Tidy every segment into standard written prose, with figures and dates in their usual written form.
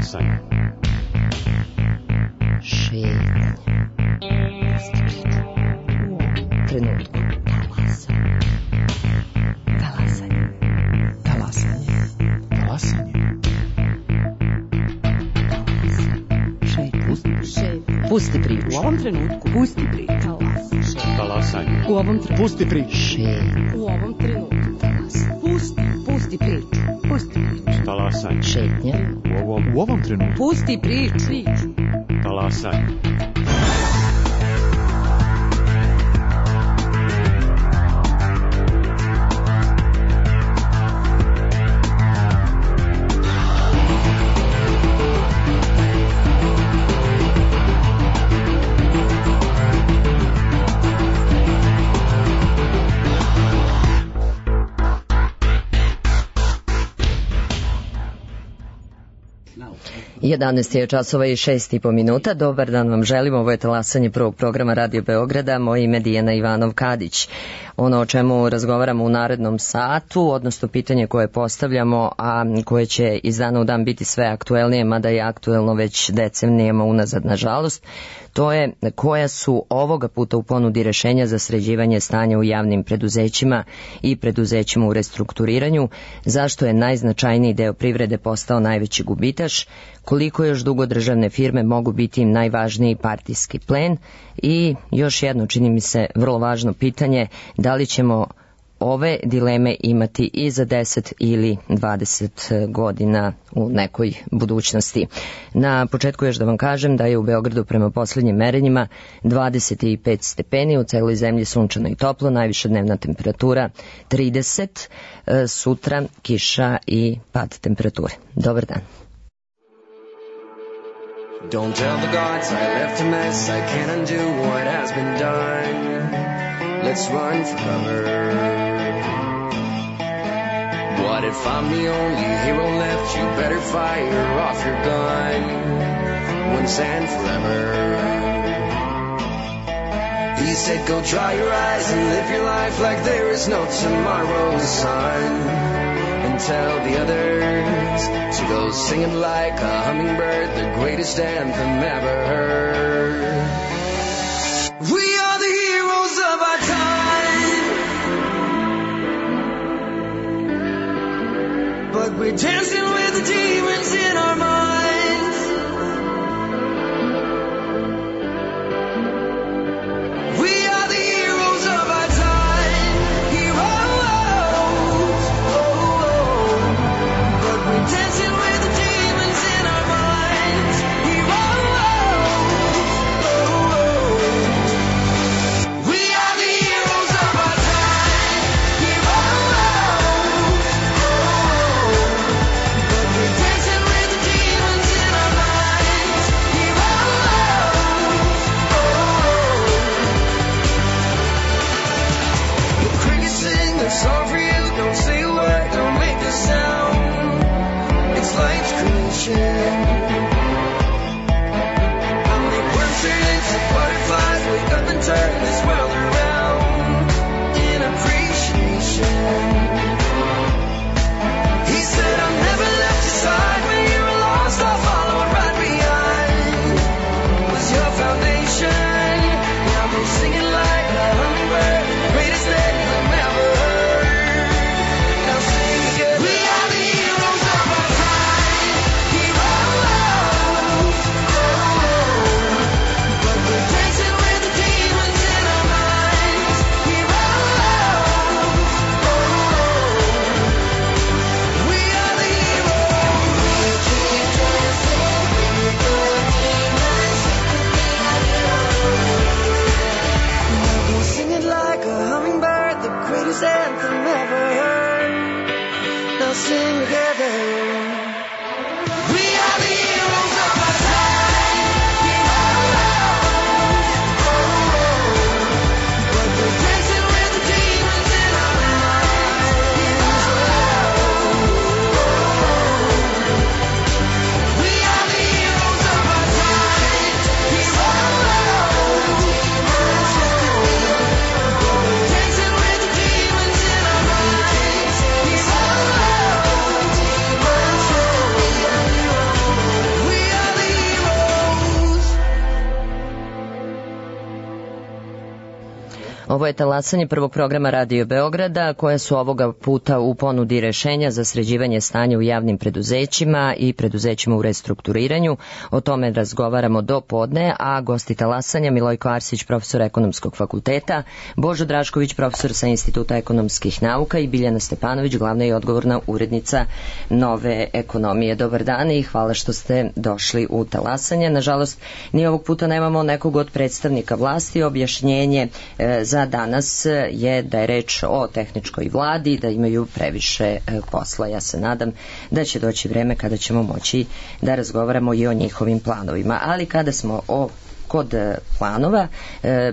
Talasanje. Šetnje. Trenutku. Talasanje. Talasanje. Talasanje. Pusti priču. U ovom trenutku. Pusti priču. Talasanje. U ovom trenutku. Pusti priču. U ovom trenutku. Pusti priču. Pusti priču. Talasanje. Šetnja. U ovom trenutku. Pusti priču. Talasanje. Jedanaest je časova i 6,5 minuta. Dobar dan vam želim. Ovo je talasanje prvog programa Radio Beograda. Moje ime je Dijana Ivanov-Kadić. Ono o čemu razgovaramo u narednom satu, odnosno pitanje koje postavljamo, a koje će iz dana u dan biti sve aktuelnije, mada je aktuelno već decenijama unazad, nažalost, to je koja su ovoga puta u ponudi rešenja za sređivanje stanja u javnim preduzećima i preduzećima u restrukturiranju, zašto je najznačajniji deo privrede postao najveći gubitaš, koliko još dugo državne firme mogu biti im najvažniji partijski plen i još jedno, čini mi se, vrlo važno pitanje, da li ćemo ove dileme imati i za 10 ili 20 godina u nekoj budućnosti. Na početku još da vam kažem da je u Beogradu prema poslednjim merenjima 25 stepeni, u celoj zemlji sunčano i toplo, najviša dnevna temperatura 30, sutra kiša i pad temperature. Dobar dan. Don't tell the gods I left a mess, I can't undo what has been done. Let's run for cover. What if I'm the only hero left? You better fire off your gun once and forever. He said go dry your eyes and live your life like there is no tomorrow, son. And tell the others to go singing like a hummingbird, the greatest anthem ever heard. We are the heroes of our time, but we're dancing with the demons in our minds. We are the heroes of our time, heroes, but we're dancing with the demons in our minds, heroes. We are the heroes of our time, heroes, but we're dancing with the demons. Ovo je talasanje prvog programa Radio Beograda, koja su ovoga puta u ponudi rešenja za sređivanje stanja u javnim preduzećima i preduzećima u restrukturiranju. O tome razgovaramo do podne, a gosti talasanja Milojko Arsić, profesor Ekonomskog fakulteta, Božo Drašković, profesor sa Instituta ekonomskih nauka i Biljana Stepanović, glavna i odgovorna urednica Nove ekonomije. Dobar dan i hvala što ste došli u talasanje. Nažalost, ni ovog puta nemamo nekog od predstavnika vlasti. Objašnjenje za danas je da je reč o tehničkoj vladi, da imaju previše posla. Ja se nadam da će doći vreme kada ćemo moći da razgovaramo i o njihovim planovima. Ali kada smo kod planova,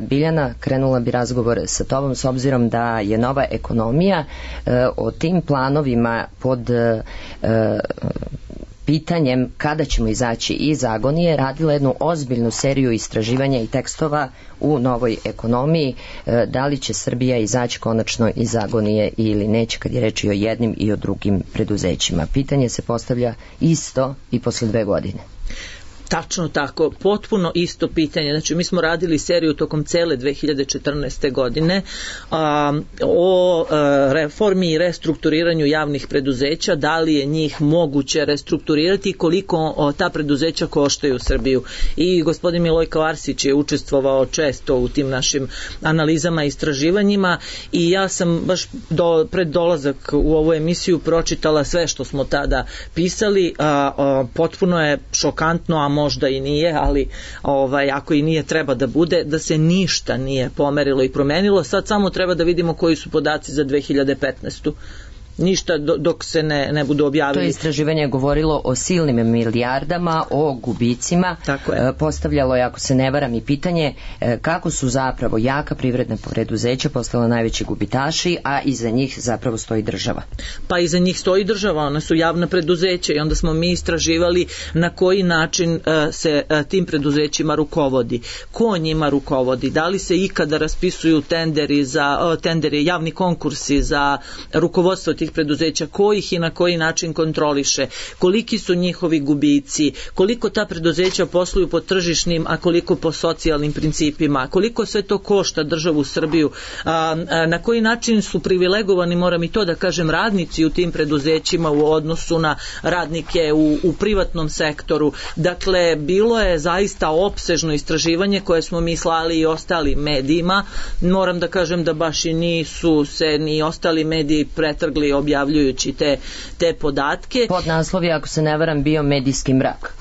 Biljana, krenula bi razgovor sa tobom s obzirom da je Nova ekonomija o tim planovima pod pitanjem kada ćemo izaći iz agonije radila jednu ozbiljnu seriju istraživanja i tekstova u Novoj ekonomiji. Da li će Srbija izaći konačno iz agonije ili neće, kad je reč i o jednim i o drugim preduzećima. Pitanje se postavlja isto i posle 2 godine. Tačno tako, potpuno isto pitanje. Znači, mi smo radili seriju tokom cele 2014. godine o reformi i restrukturiranju javnih preduzeća, da li je njih moguće restrukturirati i koliko ta preduzeća koštaju Srbiju. I gospodin Milojko Arsić je učestvovao često u tim našim analizama i istraživanjima i ja sam baš pred dolazak u ovu emisiju pročitala sve što smo tada pisali. Potpuno je šokantno, a možda i nije, ali ako i nije, treba da bude, da se ništa nije pomerilo i promenilo. Sad samo treba da vidimo koji su podaci za 2015. Ništa dok se ne budu objavili. To istraživanje je govorilo o silnim milijardama, o gubicima. Postavljalo je, ako se ne varam, i pitanje kako su zapravo jaka privredna preduzeća postala najveći gubitaši, a iza njih zapravo stoji država. Pa iza njih stoji država, one su javna preduzeća i onda smo mi istraživali na koji način se tim preduzećima rukovodi. Ko njima rukovodi? Da li se ikada raspisuju tenderi, javni konkursi za rukovodstvo tih preduzeća, ko ih i na koji način kontroliše, koliki su njihovi gubici, koliko ta preduzeća posluju po tržišnim, a koliko po socijalnim principima, koliko sve to košta državu Srbiju, na koji način su privilegovani, moram i to da kažem, radnici u tim preduzećima u odnosu na radnike u privatnom sektoru. Dakle, bilo je zaista opsežno istraživanje koje smo mi slali i ostalim medijima. Moram da kažem da baš i nisu se ni ostali mediji pretrgli objavljujući te podatke. Pod naslov je, ako se ne varam, bio medijski mrak.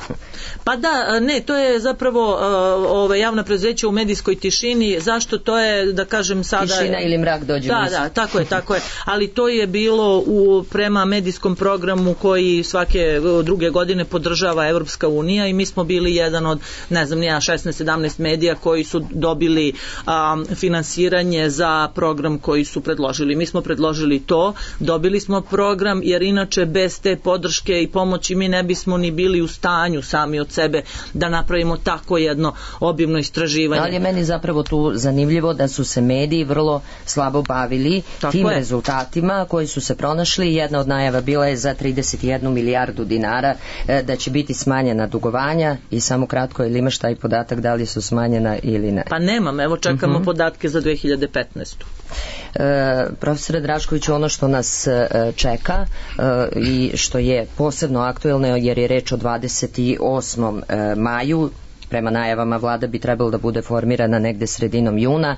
Pa da, ne, to je zapravo javna preduzeća u medijskoj tišini. Zašto? To je, da kažem sada... Tišina ili mrak dođe. Da, tako je. Ali to je bilo prema medijskom programu koji svake druge godine podržava Evropska unija i mi smo bili jedan od, 16-17 medija koji su dobili finansiranje za program koji su predložili. Mi smo predložili to, dobili smo program, jer inače bez te podrške i pomoći mi ne bismo ni bili u stanju sami od sebe da napravimo tako jedno obimno istraživanje. Ali je meni zapravo tu zanimljivo da su se mediji vrlo slabo bavili tim rezultatima koji su se pronašli. Jedna od najava bila je za 31 milijardu dinara da će biti smanjena dugovanja i samo kratko, ili imaš taj podatak da li su smanjena ili ne? Pa nemam, evo čekamo podatke za 2015. Profesore Draškoviću, ono što nas čeka i što je posebno aktuelno, jer je reč o 28. maju, prema najavama vlada bi trebalo da bude formirana negde sredinom juna,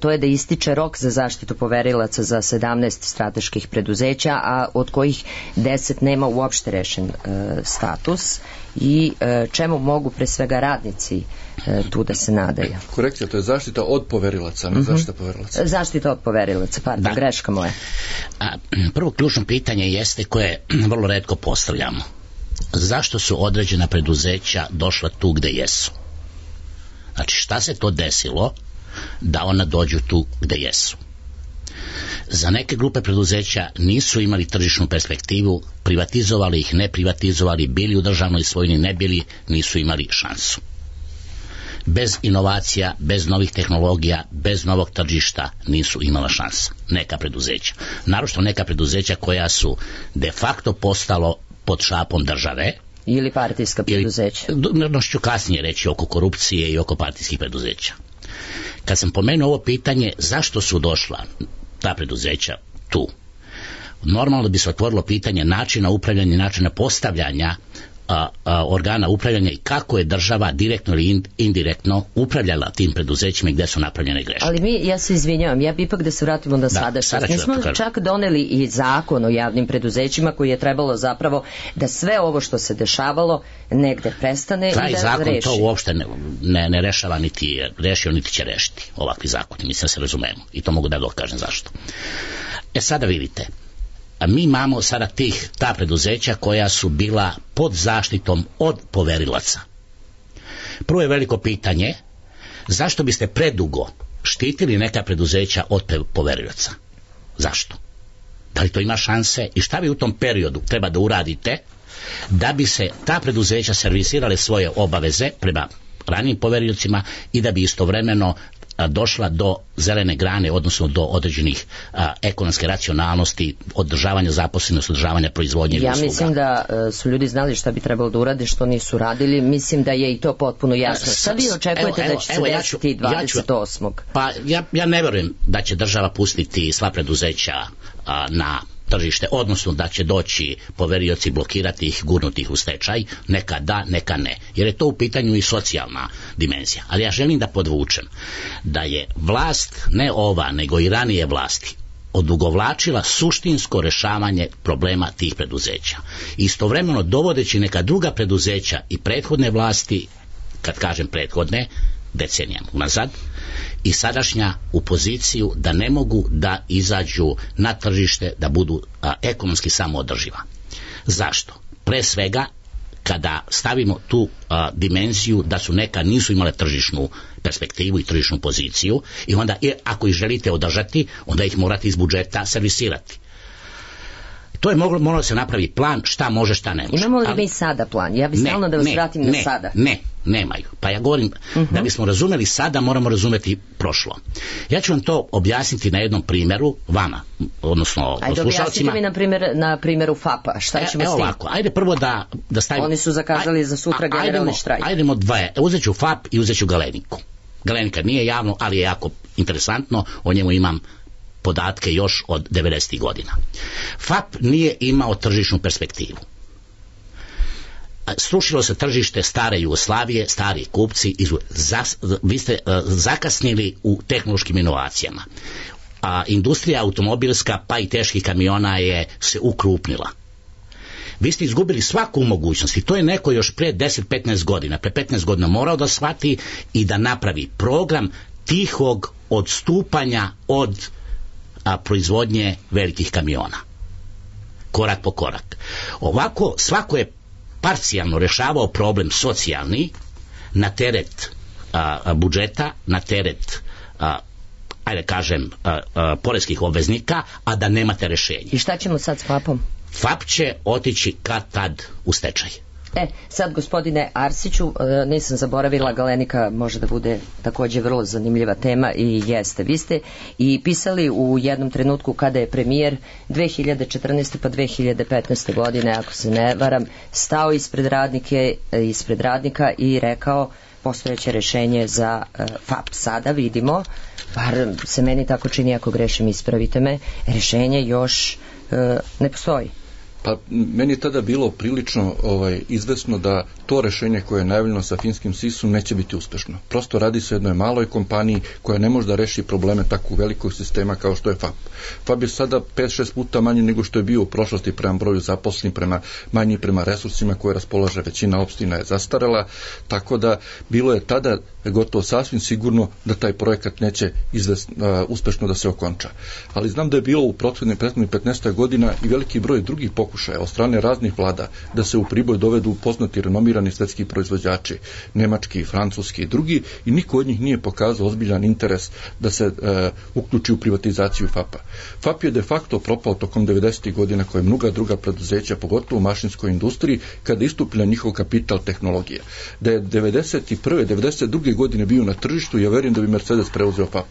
to je da ističe rok za zaštitu poverilaca za 17 strateških preduzeća, a od kojih 10 nema uopšte rešen status i čemu mogu pre svega radnici tu da se nadaju. Korekcija, to je zaštita od poverilaca, ne zaštita poverilaca. Zaštita od poverilaca, pardon, greška moja. Prvo ključno pitanje jeste koje vrlo retko postavljamo. Zašto su određena preduzeća došla tu gde jesu? Znači, šta se to desilo da ona dođu tu gde jesu? Za neke grupe preduzeća nisu imali tržišnu perspektivu, privatizovali ih, ne privatizovali, bili u državnoj svojini, ne bili, nisu imali šansu. Bez inovacija, bez novih tehnologija, bez novog tržišta nisu imala šansa. Neka preduzeća. Naročito neka preduzeća koja su de facto postalo pod šapom države. Ili partijska preduzeća. Ću kasnije reći oko korupcije i oko partijskih preduzeća. Kad sam pomenuo ovo pitanje zašto su došla ta preduzeća tu, normalno bi se otvorilo pitanje načina upravljanja, načina postavljanja organa upravljanja i kako je država direktno ili indirektno upravljala tim preduzećima i gde su napravljene greške. Ali ja se izvinjavam, ja bi ipak da se vratimo na sadašnjost. Mi smo čak doneli i zakon o javnim preduzećima koji je trebalo zapravo da sve ovo što se dešavalo negde prestane taj i da zakon reši. To uopšte ne rešava, niti je rešio, niti će rešiti ovakvi zakoni. Mislim da se razumemo i to mogu da dokažem zašto. Sada vidite, a mi imamo sada ta preduzeća koja su bila pod zaštitom od poverilaca. Prvo je veliko pitanje, zašto biste predugo štitili neka preduzeća od poverilaca? Zašto? Da li to ima šanse i šta vi u tom periodu treba da uradite da bi se ta preduzeća servisirale svoje obaveze prema ranijim poverilcima i da bi istovremeno došla do zelene grane, odnosno do određenih ekonomske racionalnosti, održavanja zaposlenosti, održavanja proizvodnje i usluga. Ja mislim da su ljudi znali šta bi trebalo da urade, što nisu radili. Mislim da je i to potpuno jasno. Šta vi očekujete da će se desiti 28. Pa ja ne verujem da će država pustiti sva preduzeća na tržište, odnosno da će doći poverioci, blokirati ih, gurnuti ih u stečaj, neka da, neka ne. Jer je to u pitanju i socijalna dimenzija. Ali ja želim da podvučem da je vlast, ne ova, nego i ranije vlasti, odugovlačila suštinsko rešavanje problema tih preduzeća. Istovremeno dovodeći neka druga preduzeća i prethodne vlasti, kad kažem prethodne, decenijama unazad, i sadašnja u poziciju da ne mogu da izađu na tržište, da budu ekonomski samoodrživa. Zašto? Pre svega, kada stavimo tu dimenziju da su neka nisu imale tržišnu perspektivu i tržišnu poziciju i onda ako ih želite održati, onda ih morate iz budžeta servisirati. To je moralo se napravi plan šta može, šta ne može. Imamo li mi sada plan? Ja bih stalno da vas vratim na sada. Nemaju. Pa ja govorim, da bismo razumeli sada, moramo razumeti prošlo. Ja ću vam to objasniti na jednom primjeru, vama, odnosno slušalcima. Ajde, objasnite mi na primjeru FAP-a. Šta ćemo s tim? Ovako, ajde prvo da stavimo... Oni su zakazali za sutra generalni štrajk. Ajdemo dvoje. Uzet ću FAP i uzet ću Galeniku. Galenika nije javno, ali je jako interesantno, o njemu imam podatke još od 90. godina. FAP nije imao tržišnu perspektivu. Srušilo se tržište stare Jugoslavije, stari kupci, vi ste zakasnili u tehnološkim inovacijama. Industrija automobilska pa i teških kamiona je se ukrupnila. Vi ste izgubili svaku mogućnost i to je neko još pre 10-15 godina, pre 15 godina morao da shvati i da napravi program tihog odstupanja od proizvodnje velikih kamiona. Korak po korak. Ovako, svako je parcijalno rešavao problem socijalni na teret budžeta, na teret ajde kažem poreskih obveznika, a da nemate rešenje. I šta ćemo sad s FAP-om? FAP će otići kad tad u stečaj. Sad gospodine Arsiću, nisam zaboravila, Galenika može da bude takođe vrlo zanimljiva tema i jeste. Vi ste i pisali u jednom trenutku kada je premijer 2014. pa 2015. godine, ako se ne varam, stao ispred radnika i rekao postojeće rešenje za FAP. Sada vidimo, bar se meni tako čini, ako grešim ispravite me, rešenje još ne postoji. Pa meni je tada bilo prilično izvesno da to rešenje koje je najavljeno sa finskim SIS-om neće biti uspešno. Prosto radi se o jednoj maloj kompaniji koja ne može da reši probleme tako velikog sistema kao što je FAP. FAP je sada 5-6 puta manji nego što je bio u prošlosti prema broju zaposlenih, manji prema resursima koje raspolaže većina opština je zastarela, tako da bilo je tada gotovo sasvim sigurno da taj projekat neće uspešno da se okonča. Ali znam da je bilo u prethodnih 15 godina i veliki broj drugih pokušaja od strane raznih vlada da se u Priboj dovedu poznati renomirani svetski proizvođači, nemački, francuski i drugi, i niko od njih nije pokazao ozbiljan interes da se uključi u privatizaciju FAP-a. FAP je de facto propao tokom 90. godina koje mnoga druga preduzeća, pogotovo u mašinskoj industriji, kada istupila njihov kapital tehnologija. Da je 91. 92. godine bio na tržištu, ja verujem da bi Mercedes preuzeo FAP.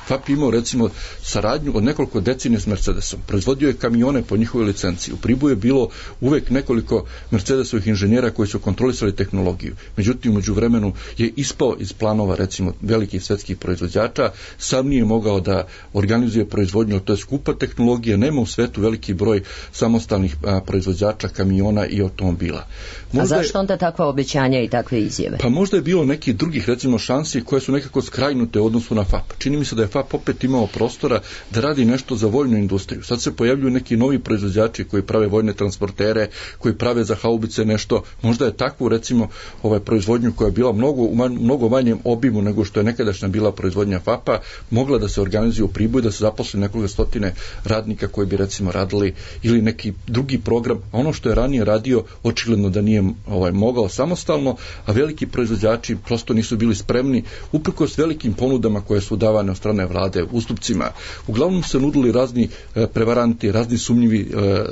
FAP imao recimo saradnju od nekoliko decenija s Mercedesom. Proizvodio je kamione po njihovoj licenciji. U Priboju tu je bilo uvek nekoliko Mercedesovih inženjera koji su kontrolisali tehnologiju. Međutim, umeđu vremenu je ispao iz planova, recimo, velikih svetskih proizvođača, sam nije mogao da organizuje proizvodnju, to je skupa tehnologija, nema u svetu veliki broj samostalnih proizvođača kamiona i automobila. Možda a zašto onda takva obećanja i takve izjave? Pa možda je bilo nekih drugih, recimo, šansi koje su nekako skrajnute u odnosu na FAP. Čini mi se da je FAP opet imao prostora da radi nešto za vojnu industriju. Sad se pojavljuju neki novi proizvođači koji prave vojne transportere, koji prave za haubice nešto. Možda je takvu, recimo, proizvodnju koja je bila mnogo manjem obimu nego što je nekadašnja bila proizvodnja FAP-a, mogla da se organizuje u Priboju, da se zaposli nekoliko stotine radnika koji bi, recimo, radili ili neki drugi program. A ono što je ranije radio, očigledno da nije mogao samostalno, a veliki proizvođači prosto nisu bili spremni, uprkos velikim ponudama koje su davane od strane vlade, ustupcima. Uglavnom se nudili razni prevaranti, razni sumnjivi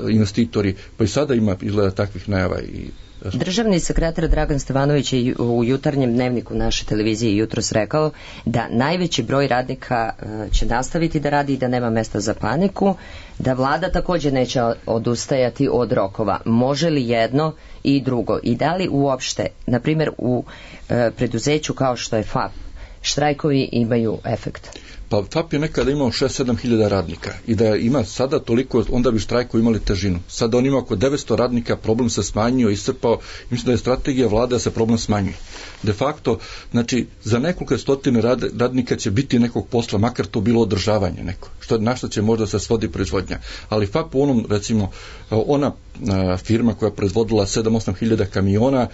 investitori, pa i sada ima izgleda takvih najava i Državni sekretar Dragan Stevanović je u jutarnjem dnevniku naše televizije jutros rekao da najveći broj radnika će nastaviti da radi i da nema mesta za paniku, da vlada također neće odustajati od rokova. Može li jedno i drugo? I da li uopšte, na primjer u preduzeću kao što je FAP, štrajkovi imaju efekt? Pa FAP je nekada imao 6-7 hiljada radnika i da ima sada toliko, onda bi štrajkovi imali težinu. Sada on ima oko 900 radnika, problem se smanjio, iscrpao. Mislim da je strategija vlade da se problem smanjuje. De facto, znači, za nekoliko stotine radnika će biti nekog posla, makar to bilo održavanje neko, na što će možda se svodi proizvodnja. Ali FAP u onom, recimo, ona firma koja je proizvodila 7-8 hiljada kamiona,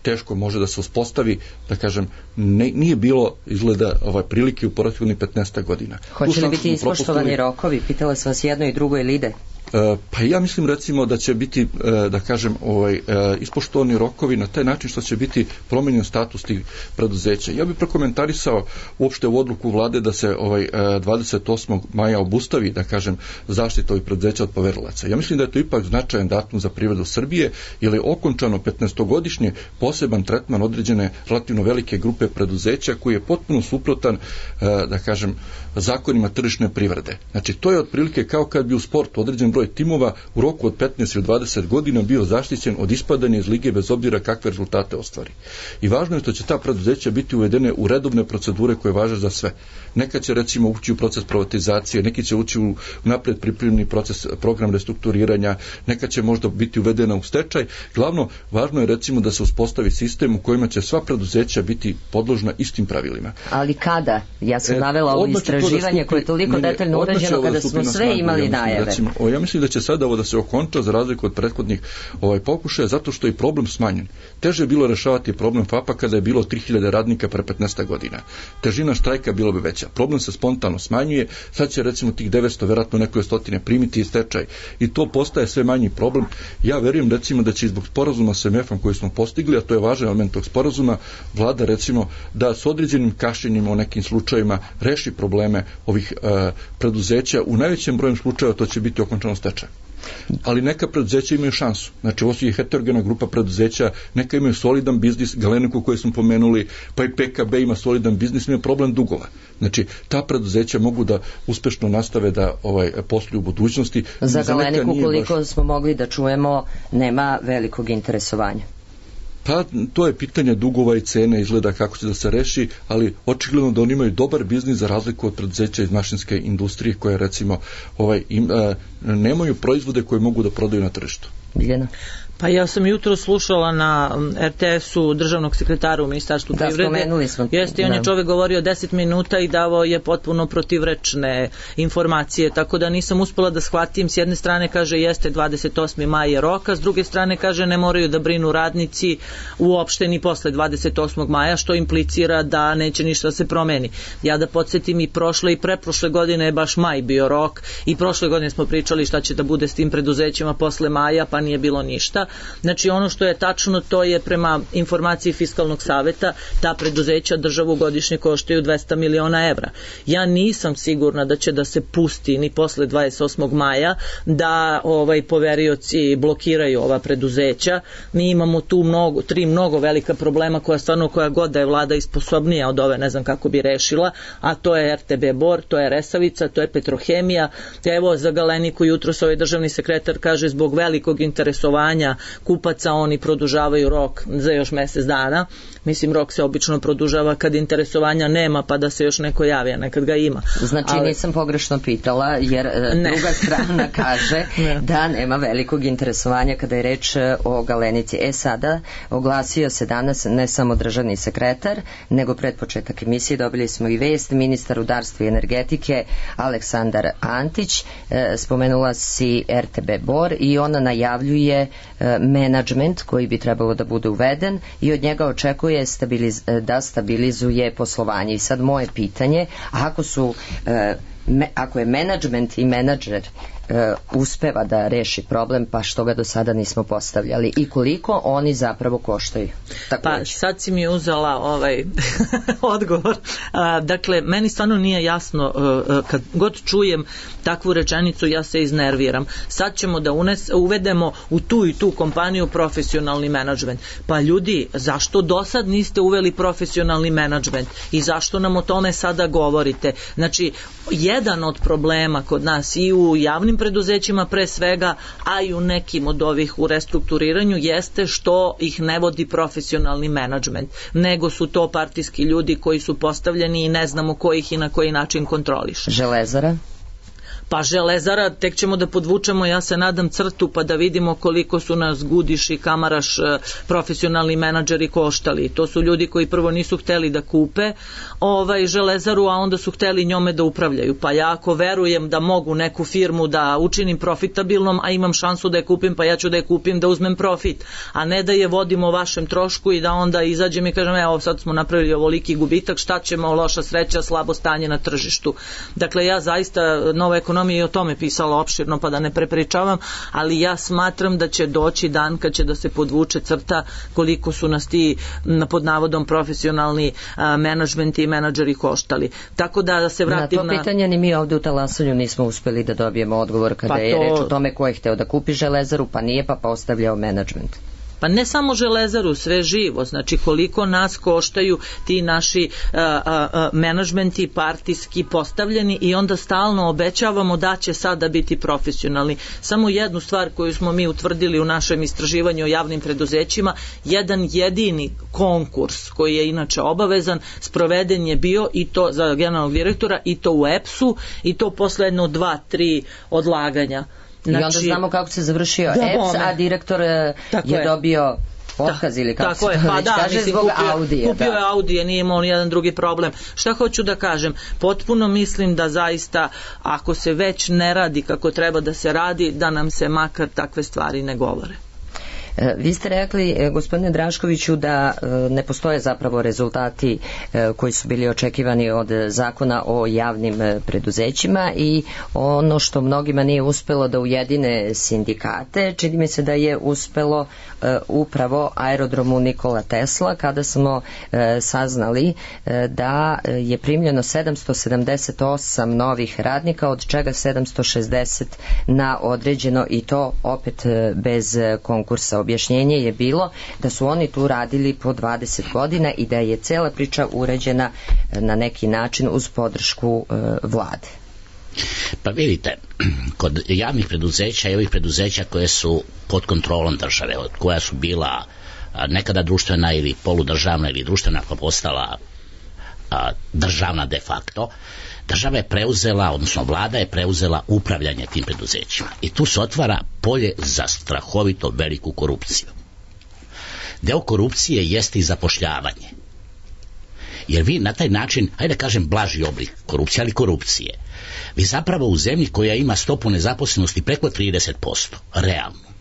teško može da se uspostavi, da kažem, nije bilo izgleda prilike u prethodnih 15 godina. Hoće li biti ispoštovani rokovi? Pitala sam vas jedno i drugo ili ide? Pa ja mislim, recimo, da će biti, da kažem, ispoštovani rokovi na taj način što će biti promenjen status tih preduzeća. Ja bih prokomentarisao uopšte u odluku vlade da se 28. maja obustavi, da kažem, zaštita ovih preduzeća od poverilaca. Ja mislim da je to ipak značajan datum za privredu Srbije, jer je okončano 15-godišnje poseban tretman određene relativno velike grupe preduzeća koji je potpuno suprotan, da kažem, zakonima tržišne privrede. Znači, to je otprilike kao kad bi u sportu određen broj timova u roku od 15 ili 20 godina bio zaštićen od ispadanja iz lige bez obzira kakve rezultate ostvari. I važno je što će ta preduzeća biti uvedene u redovne procedure koje važe za sve. Neka će, recimo, ući u proces privatizacije, neki će ući u napred pripremljeni proces, program restrukturiranja, neka će možda biti uvedena u stečaj. Glavno, važno je, recimo, da se uspostavi sistem u kojima će sva preduzeća biti podložna istim pravilima. Ali kada? Ja sam navela ovo istraživanje koje je toliko detaljno urađeno kada smo sve imali najave. Recimo, ja mislim da će sada ovo da se okonča za razliku od prethodnih pokušaja, zato što je problem smanjen. Teže je bilo rešavati problem FAP-a kada je bilo 3000 radnika pre 15 godina. Težina štrajka bilo bi veća. Problem se spontano smanjuje, sad će, recimo, tih 900, verovatno nekoje stotine primiti i stečaj. I to postaje sve manji problem. Ja verujem, recimo, da će zbog sporazuma s MF-om koji smo postigli, a to je važan element tog sporazuma, vlada, recimo, da s određenim kašnjenjima u nekim slučajevima reši probleme ovih preduzeća. U najvećem broju slučajeva to će biti okončano stečaj. Ali neka preduzeća imaju šansu. Znači, ovo je heterogena grupa preduzeća, neka imaju solidan biznis, Galeniku koji smo pomenuli, pa i PKB ima solidan biznis, ima problem dugova. Znači, ta preduzeća mogu da uspešno nastave da posluju u budućnosti. Za Galeniku, koliko smo mogli da čujemo, nema velikog interesovanja. Pa to je pitanje dugova i cene, izgleda kako će da se reši, ali očigledno da oni imaju dobar biznis za razliku od preduzeća iz mašinske industrije koje, recimo, nemaju proizvode koje mogu da prodaju na tržištu. Biljana? Pa ja sam jutro slušala na RTS-u državnog sekretara u Ministarstvu privrede. Spomenuli smo. Jeste, i on je čovjek govorio 10 minuta i davao je potpuno protivrečne informacije, tako da nisam uspela da shvatim. S jedne strane kaže jeste 28. maj je roka, s druge strane kaže ne moraju da brinu radnici uopšte ni posle 28. maja, što implicira da neće ništa da se promeni. Ja da podsjetim, i prošle i preprošle godine je baš maj bio rok i prošle godine smo pričali šta će da bude s tim preduzećima posle maja, pa nije bilo ništa. Znači ono što je tačno, to je prema informaciji Fiskalnog saveta, ta preduzeća državu godišnje koštaju 200 miliona evra. Ja nisam sigurna da će da se pusti ni posle 28. maja da poverioci blokiraju ova preduzeća. Mi imamo tu tri mnogo velika problema koja god da je vlada isposobnija od ove, ne znam kako bi rešila, a to je RTB Bor, to je Resavica, to je Petrohemija. Evo za Galeniku jutros ovaj državni sekretar kaže zbog velikog interesovanja kupaca oni produžavaju rok za još mesec dana. Mislim, rok se obično produžava kad interesovanja nema, pa da se još neko javi, a nekad ga ima. Znači nisam pogrešno pitala, jer druga strana kaže da nema velikog interesovanja kada je reč o Galenici. Sada oglasio se danas ne samo državni sekretar, nego pred početak emisije dobili smo i vest, ministar rudarstva i energetike Aleksandar Antić, spomenula si RTB Bor i ona najavljuje menadžment koji bi trebalo da bude uveden i od njega očekuje da stabilizuje poslovanje. I sad moje pitanje, ako je menadžment i menadžer uspeva da reši problem, pa što ga do sada nismo postavljali i koliko oni zapravo koštaju? Pa sad si mi uzela odgovor. Dakle, meni stvarno nije jasno, kad god čujem takvu rečenicu ja se iznerviram. Sad ćemo da uvedemo u tu i tu kompaniju profesionalni menadžment. Pa ljudi, zašto do sad niste uveli profesionalni menadžment i zašto nam o tome sada govorite? Znači, jedan od problema kod nas i u javnim preduzećima pre svega, a i u nekim od ovih u restrukturiranju jeste što ih ne vodi profesionalni menadžment, nego su to partijski ljudi koji su postavljeni i ne znamo ko ih i na koji način kontroliše. Železara? Pa Železara, tek ćemo da podvučemo, ja se nadam, crtu pa da vidimo koliko su nas Gudiš i Kamaraš profesionalni menadžeri koštali. To su ljudi koji prvo nisu hteli da kupe Železaru, a onda su hteli njome da upravljaju. Pa ja ako verujem da mogu neku firmu da učinim profitabilnom, a imam šansu da je kupim, pa ja ću da je kupim da uzmem profit, a ne da je vodim o vašem trošku i da onda izađem i kažem evo sad smo napravili ovoliki gubitak, šta ćemo, loša sreća, slabo stanje na tržištu. Dakle, ja zaista, Nova ekonomija i o tome pisala opširno pa da ne prepričavam, ali ja smatram da će doći dan kad će da se podvuče crta koliko su nas ti pod navodom profesionalni menadžmenti i menadžeri koštali. Tako da se vratim na to pitanje ni mi ovde u Talasanju nismo uspeli da dobijemo odgovor kada je reč o tome ko je hteo da kupi Železaru, pa nije, pa postavljao menadžment. Pa ne samo Železaru, sve živo, znači koliko nas koštaju ti naši menadžmenti partijski postavljeni i onda stalno obećavamo da će sada biti profesionalni. Samo jednu stvar koju smo mi utvrdili u našem istraživanju o javnim preduzećima, jedan jedini konkurs koji je inače obavezan, sproveden je bio i to za generalnog direktora i to u EPS-u i to posle jedno 2-3 odlaganja. Znači, i onda znamo kako se završio EPS, a direktor je dobio otkaz ili kako se to već kaže, zbog Audije. Kupio je Audije, nije imao nijedan drugi problem. Šta hoću da kažem? Potpuno mislim da zaista, ako se već ne radi kako treba da se radi, da nam se makar takve stvari ne govore. Vi ste rekli, gospodine Draškoviću, da ne postoje zapravo rezultati koji su bili očekivani od zakona o javnim preduzećima i ono što mnogima nije uspelo da ujedine sindikate, čini mi se da je uspelo upravo aerodromu Nikola Tesla, kada smo saznali da je primljeno 778 novih radnika, od čega 760 na određeno i to opet bez konkursa. Objašnjenje je bilo da su oni tu radili po 20 godina i da je cela priča urađena na neki način uz podršku vlade. Pa vidite, kod javnih preduzeća i ovih preduzeća koje su pod kontrolom države, koja su bila nekada društvena ili poludržavna ili društvena, pa postala državna de facto, država je preuzela, odnosno vlada je preuzela upravljanje tim preduzećima. I tu se otvara polje za strahovito veliku korupciju. Deo korupcije jeste i zapošljavanje. Jer vi na taj način, hajde da kažem blaži oblik korupcije, ali korupcije, vi zapravo u zemlji koja ima stopu nezaposlenosti preko 30%, realno,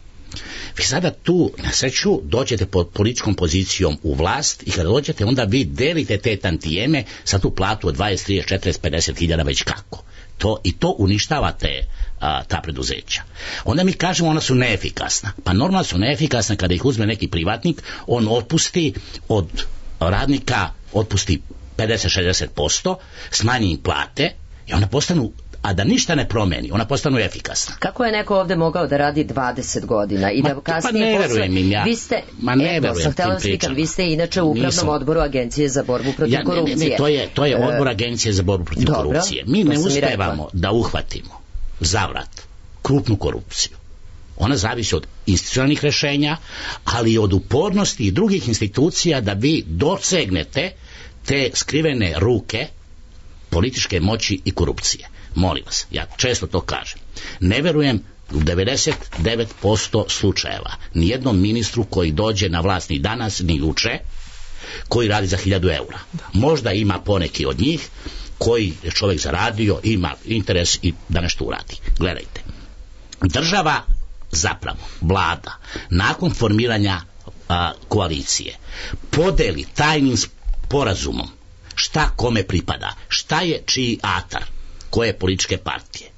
vi sada tu na sreću dođete pod političkom pozicijom u vlast i kada dođete onda vi delite te tantijeme sa tu platu od 20, 30, 40, 50 hiljada već kako. I to uništava ta preduzeća. Onda mi kažemo ona su neefikasna. Pa normalno su neefikasna kada ih uzme neki privatnik, on otpusti od radnika, otpusti 50-60%, smanji im plate i ona postanu, a da ništa ne promeni, ona postanu efikasna. Kako je neko ovde mogao da radi 20 godina i da kasnije ne verujem im ja. Vi ste, ne verujem tim pričama. Vi ste inače u upravnom odboru Agencije za borbu protiv korupcije. To je odbor Agencije za borbu protiv korupcije. Mi ne uspevamo da uhvatimo zavrat krupnu korupciju. Ona zavisi od institucionalnih rešenja, ali i od upornosti i drugih institucija da vi dosegnete te skrivene ruke političke moći i korupcije. Molim vas, ja često to kažem. Ne verujem u 99% slučajeva nijednom ministru koji dođe na vlast ni danas ni juče, koji radi za 1000 eura. Možda ima poneki od njih koji je čovjek zaradio, ima interes i da nešto uradi. Gledajte, država, zapravo vlada, nakon formiranja koalicije podeli tajnim sporazumom šta kome pripada, šta je čiji atar koje političke partije.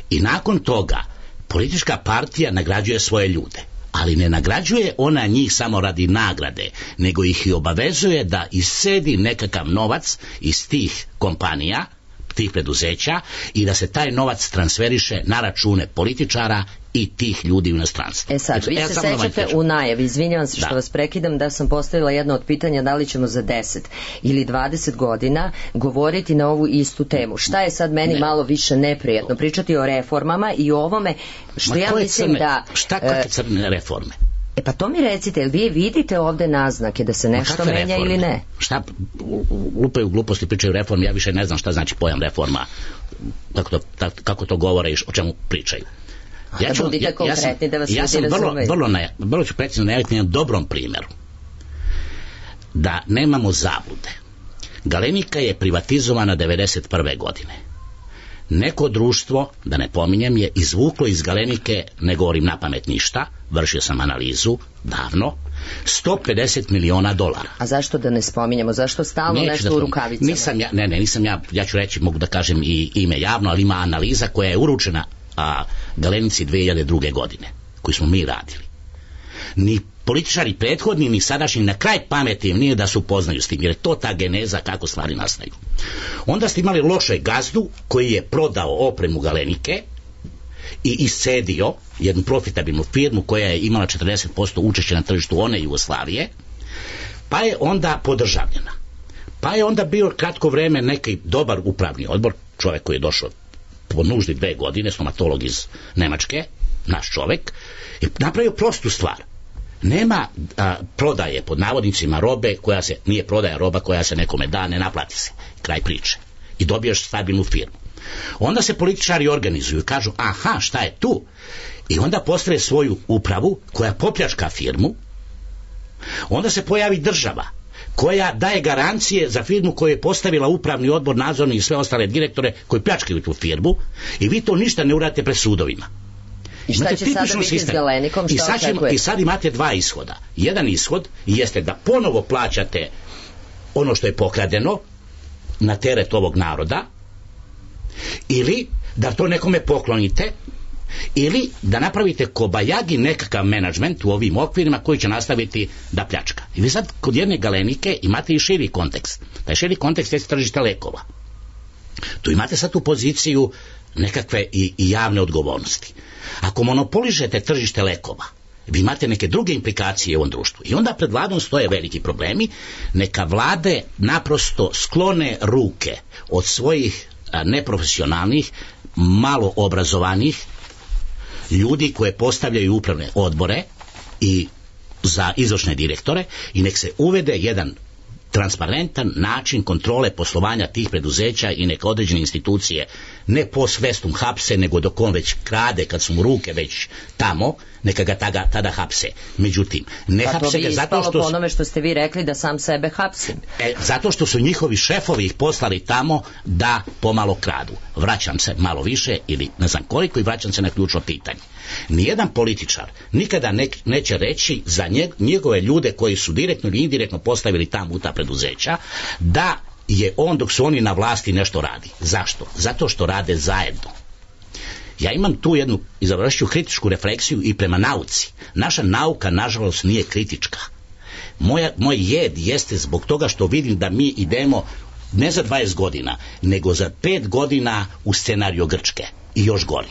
I nakon toga politička partija nagrađuje svoje ljude, ali ne nagrađuje ona njih samo radi nagrade, nego ih i obavezuje da iscedi nekakav novac iz tih kompanija, tih preduzeća, i da se taj novac transferiše na račune političara i tih ljudi u inostranstvu. Sad, vi se sećate u najavi, izvinjavam se što vas prekidam, da sam postavila jedno od pitanja da li ćemo za 10 ili 20 godina govoriti na ovu istu temu. Šta je sad meni malo više neprijatno? Pričati o reformama i o ovome što ja mislim da... Šta kakve crne reforme? Pa to mi recite, jel vi vidite ovde naznake da se nešto menja reforme? Ili ne? Šta lupaju gluposti, pričaju reforme, ja više ne znam šta znači pojam reforma, kako to govore i o čemu pričaju. Ja sam vrlo ću precizno najaviti na dobrom primjeru. Da nemamo zablude. Galenika je privatizovana 1991. godine. Neko društvo, da ne pominjem, je izvuklo iz Galenike, ne govorim na pamet ništa, vršio sam analizu davno, $150 miliona. A zašto da ne spominjemo? Zašto stalno nešto u rukavicama? Nisam ja ću reći, mogu da kažem i ime javno, ali ima analiza koja je uručena Galenici 2002. godine, koju smo mi radili. Ni političari prethodni, ni sadašnji, na kraj pameti im nije da se upoznaju s tim, jer je to ta geneza kako stvari nastaju. Onda ste imali lošeg gazdu koji je prodao opremu Galenike i iscedio jednu profitabilnu firmu koja je imala 40% učešća na tržištu one Jugoslavije, pa je onda podržavljena. Pa je onda bio kratko vreme neki dobar upravni odbor, čovjek koji je došao po nuždi 2 godine, stomatolog iz Nemačke, naš čovjek, i napravio prostu stvar. Nema prodaje pod navodnicima robe koja se, nije prodaja roba koja se nekome da, ne naplati se, kraj priče, i dobiješ stabilnu firmu. Onda se političari organizuju i kažu, aha, šta je tu? I onda postave svoju upravu koja popljačka firmu. Onda se pojavi država koja daje garancije za firmu koju je postavila upravni odbor, nadzorni i sve ostale direktore koji pljačkaju tu firmu, i vi to ništa ne uradite pred sudovima. I šta će sada biti s Galenikom? I sad imate 2 ishoda. Jedan ishod jeste da ponovo plaćate ono što je pokradeno na teret ovog naroda, ili da to nekome poklonite, ili da napravite kobajagi nekakav menadžment u ovim okvirima koji će nastaviti da pljačka. I vi sad kod jedne Galenike imate i širi kontekst. Taj širi kontekst je tržište lekova. Tu imate sad tu poziciju nekakve i javne odgovornosti. Ako monopoližete tržište lekova, vi imate neke druge implikacije u ovom društvu. I onda pred vladom stoje veliki problemi. Neka vlade naprosto sklone ruke od svojih neprofesionalnih, malo obrazovanih ljudi koje postavljaju upravne odbore i za izvršne direktore, i nek se uvede jedan transparentan način kontrole poslovanja tih preduzeća i neka određene institucije ne post festum hapse, nego dok on već krade, kad su mu ruke već tamo, neka ga tada hapse. Međutim, ne hapse ga zato što... po onome što ste vi rekli da sam sebe hapsim. Zato što su njihovi šefovi ih poslali tamo da pomalo kradu. Vraćam se malo više ili ne znam koliko i vraćam se na ključno pitanje. Nijedan političar nikada neće reći za njegove ljude koji su direktno ili indirektno postavili tamo u ta preduzeća da je on dok su oni na vlasti nešto radi. Zašto? Zato što rade zajedno. Ja imam tu jednu, izvršću kritičku refleksiju i prema nauci. Naša nauka, nažalost, nije kritička. Moj jed jeste zbog toga što vidim da mi idemo ne za 20 godina, nego za 5 godina u scenariju Grčke i još gori.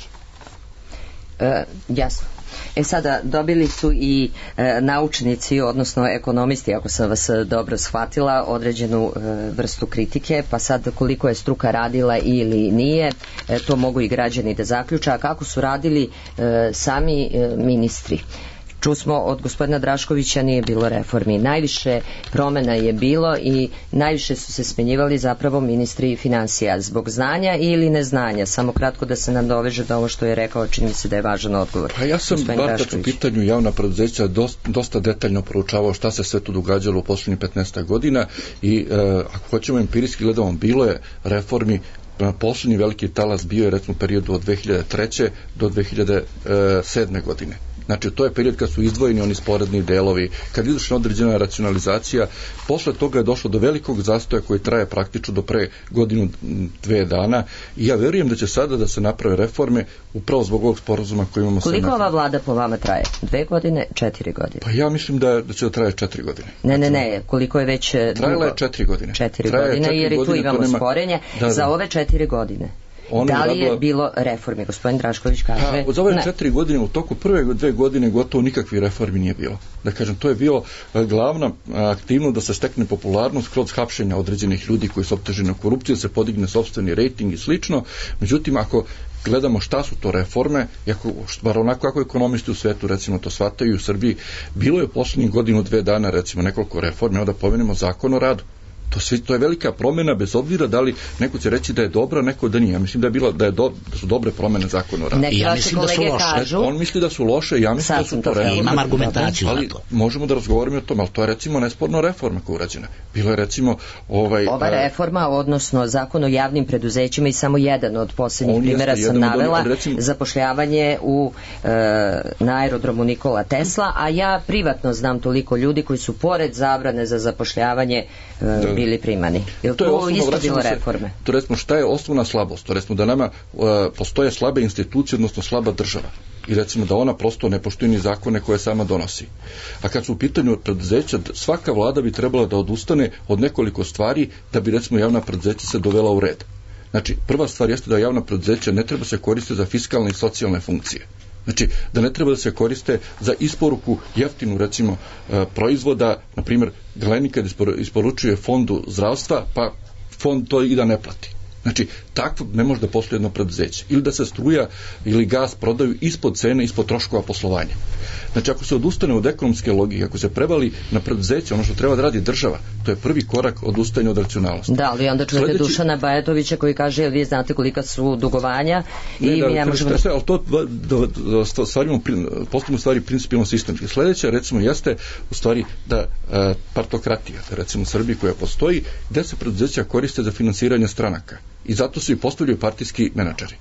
Jasno. Sada dobili su i naučnici, odnosno ekonomisti, ako sam vas dobro shvatila, određenu vrstu kritike, pa sad koliko je struka radila ili nije, to mogu i građani da zaključa. A kako su radili sami ministri? Čusmo od gospodina Draškovića, nije bilo reformi. Najviše promjena je bilo i najviše su se smenjivali zapravo ministri financija. Zbog znanja ili neznanja? Samo kratko da se nam doveže do ovo što je rekao, čini mi se da je važan odgovor. Pa ja sam bar kad u pitanju javna preduzeća dosta detaljno proučavao šta se sve tu događalo u posljednjih 15 godina i ako hoćemo empirijski gledamo, bilo je reformi. Posljednji veliki talas bio je recimo u periodu od 2003. do 2007. godine. Znači, to je period kad su izdvojeni oni sporedni delovi, kad je izvršena određena racionalizacija, posle toga je došlo do velikog zastoja koji traje praktično do pre godinu, 2 dana i ja verujem da će sada da se naprave reforme upravo zbog ovog sporazuma koji imamo. Koliko ova vlada po vama traje? 2 godine, 4 godine? Pa ja mislim da će da traje 4 godine. Ne, koliko je već trajala je 4 godine. 4 godine, jer i tu imamo sporenje. Za ove 4 godine. Da li je bilo reformi? Gospodin Drašković kaže za ove 4 godine, u toku prve 2 godine gotovo nikakvi reformi nije bilo. Da kažem, to je bilo glavna aktivnost da se stekne popularnost kroz hapšenja određenih ljudi koji su optuženi korupcije, da se podigne sopstveni rejting i slično. Međutim, ako gledamo šta su to reforme, bar onako kako ekonomisti u svetu recimo to shvataju u Srbiji, bilo je u posljednjih godinu, 2 dana recimo nekoliko reforme, da pomenemo zakon o radu. To je velika promjena, bez obzira da li neko će reći da je dobra, neko da nije. Ja mislim da su dobre promjene zakona o radu. Ja mislim da su loše. On misli da su loše, ja mislim da su to reforme. Imam argumentaciju ali za to. Možemo da razgovaramo o tom, ali to je recimo nesporno reforma koja je urađena. Bilo je recimo ova reforma, odnosno zakon o javnim preduzećima i samo jedan od posljednjih primjera sam navela, zapošljavanje na aerodromu Nikola Tesla, a ja privatno znam toliko ljudi koji su pored zabrane za zapošljavanje bili primani. Jel to isto bilo reforme? To recimo šta je osnovna slabost? To recimo da nama postoje slabe institucije, odnosno slaba država. I recimo da ona prosto ne poštuje ni zakone koje sama donosi. A kad su u pitanju preduzeća, svaka vlada bi trebala da odustane od nekoliko stvari da bi recimo javna preduzeća se dovela u red. Znači, prva stvar jeste da javna preduzeća ne treba se koristiti za fiskalne i socijalne funkcije. Znači, da ne treba da se koriste za isporuku jeftinu, recimo, proizvoda, na primjer, Galenika isporučuje fondu zdravstva, pa fond to i da ne plati. Znači, takvo ne može da posluje jedno preduzeće. Ili da se struja ili gas prodaju ispod cene, ispod troškova poslovanja. Znači, ako se odustane od ekonomske logike, ako se prevali na preduzeće, ono što treba da radi država, to je prvi korak odustajanja od racionalnosti. Da, ali onda čujete Dušana Bajatovića koji kaže, jel vi znate kolika su dugovanja i mi ne možemo... Ali to postavimo stvari principijalno sistemski. Sljedeće, recimo, jeste u stvari da partokratija, recimo u Srbiji koja postoji, gde se preduzeća koriste za finansiranje stranaka. I zato su i postavljaju partijski menadžeri.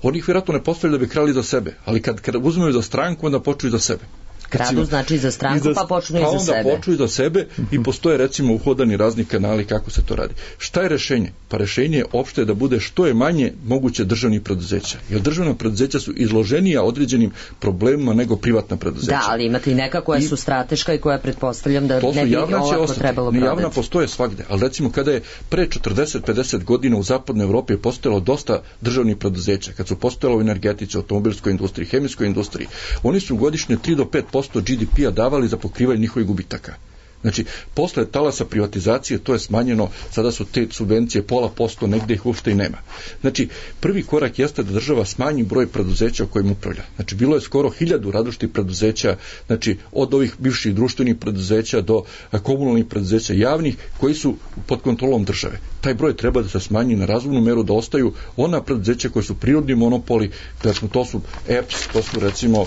Oni ih vjerojatno ne postavljaju da bi krali za sebe, ali kad uzmeju za stranku, onda počuju za sebe. Kradu znači za stranku, pa počnu i za sebe. Pa onda počnu i za sebe i postoje recimo uhodani razni kanali kako se to radi. Šta je rešenje? Pa rešenje je opšte da bude što je manje moguće državnih preduzeća. Jer državna preduzeća su izloženija određenim problemima nego privatna preduzeća. Da, ali imate i neka koja su strateška i koja pretpostavljam da ne bi ovako trebalo prodati. Javna postoje svagde, ali recimo kada je pre 40-50 godina u zapadnoj Evropi postojalo dosta državnih preduzeća, kad su postojalo u energetici, automobilskoj industriji, hemijskoj industriji, oni su godišnje 3 do 5% GDP-a davali za pokrivanje njihovih gubitaka. Znači, posle talasa privatizacije to je smanjeno, sada su te subvencije 0,5%, negde ih uopšte i nema. Znači, prvi korak jeste da država smanji broj preduzeća o kojim upravlja. Znači, bilo je skoro 1000 različitih preduzeća, znači, od ovih bivših društvenih preduzeća do komunalnih preduzeća javnih, koji su pod kontrolom države. Taj broj treba da se smanji na razumnu meru, da ostaju ona preduzeća koje su prirodni monopoli, recimo to su EPS, to su recimo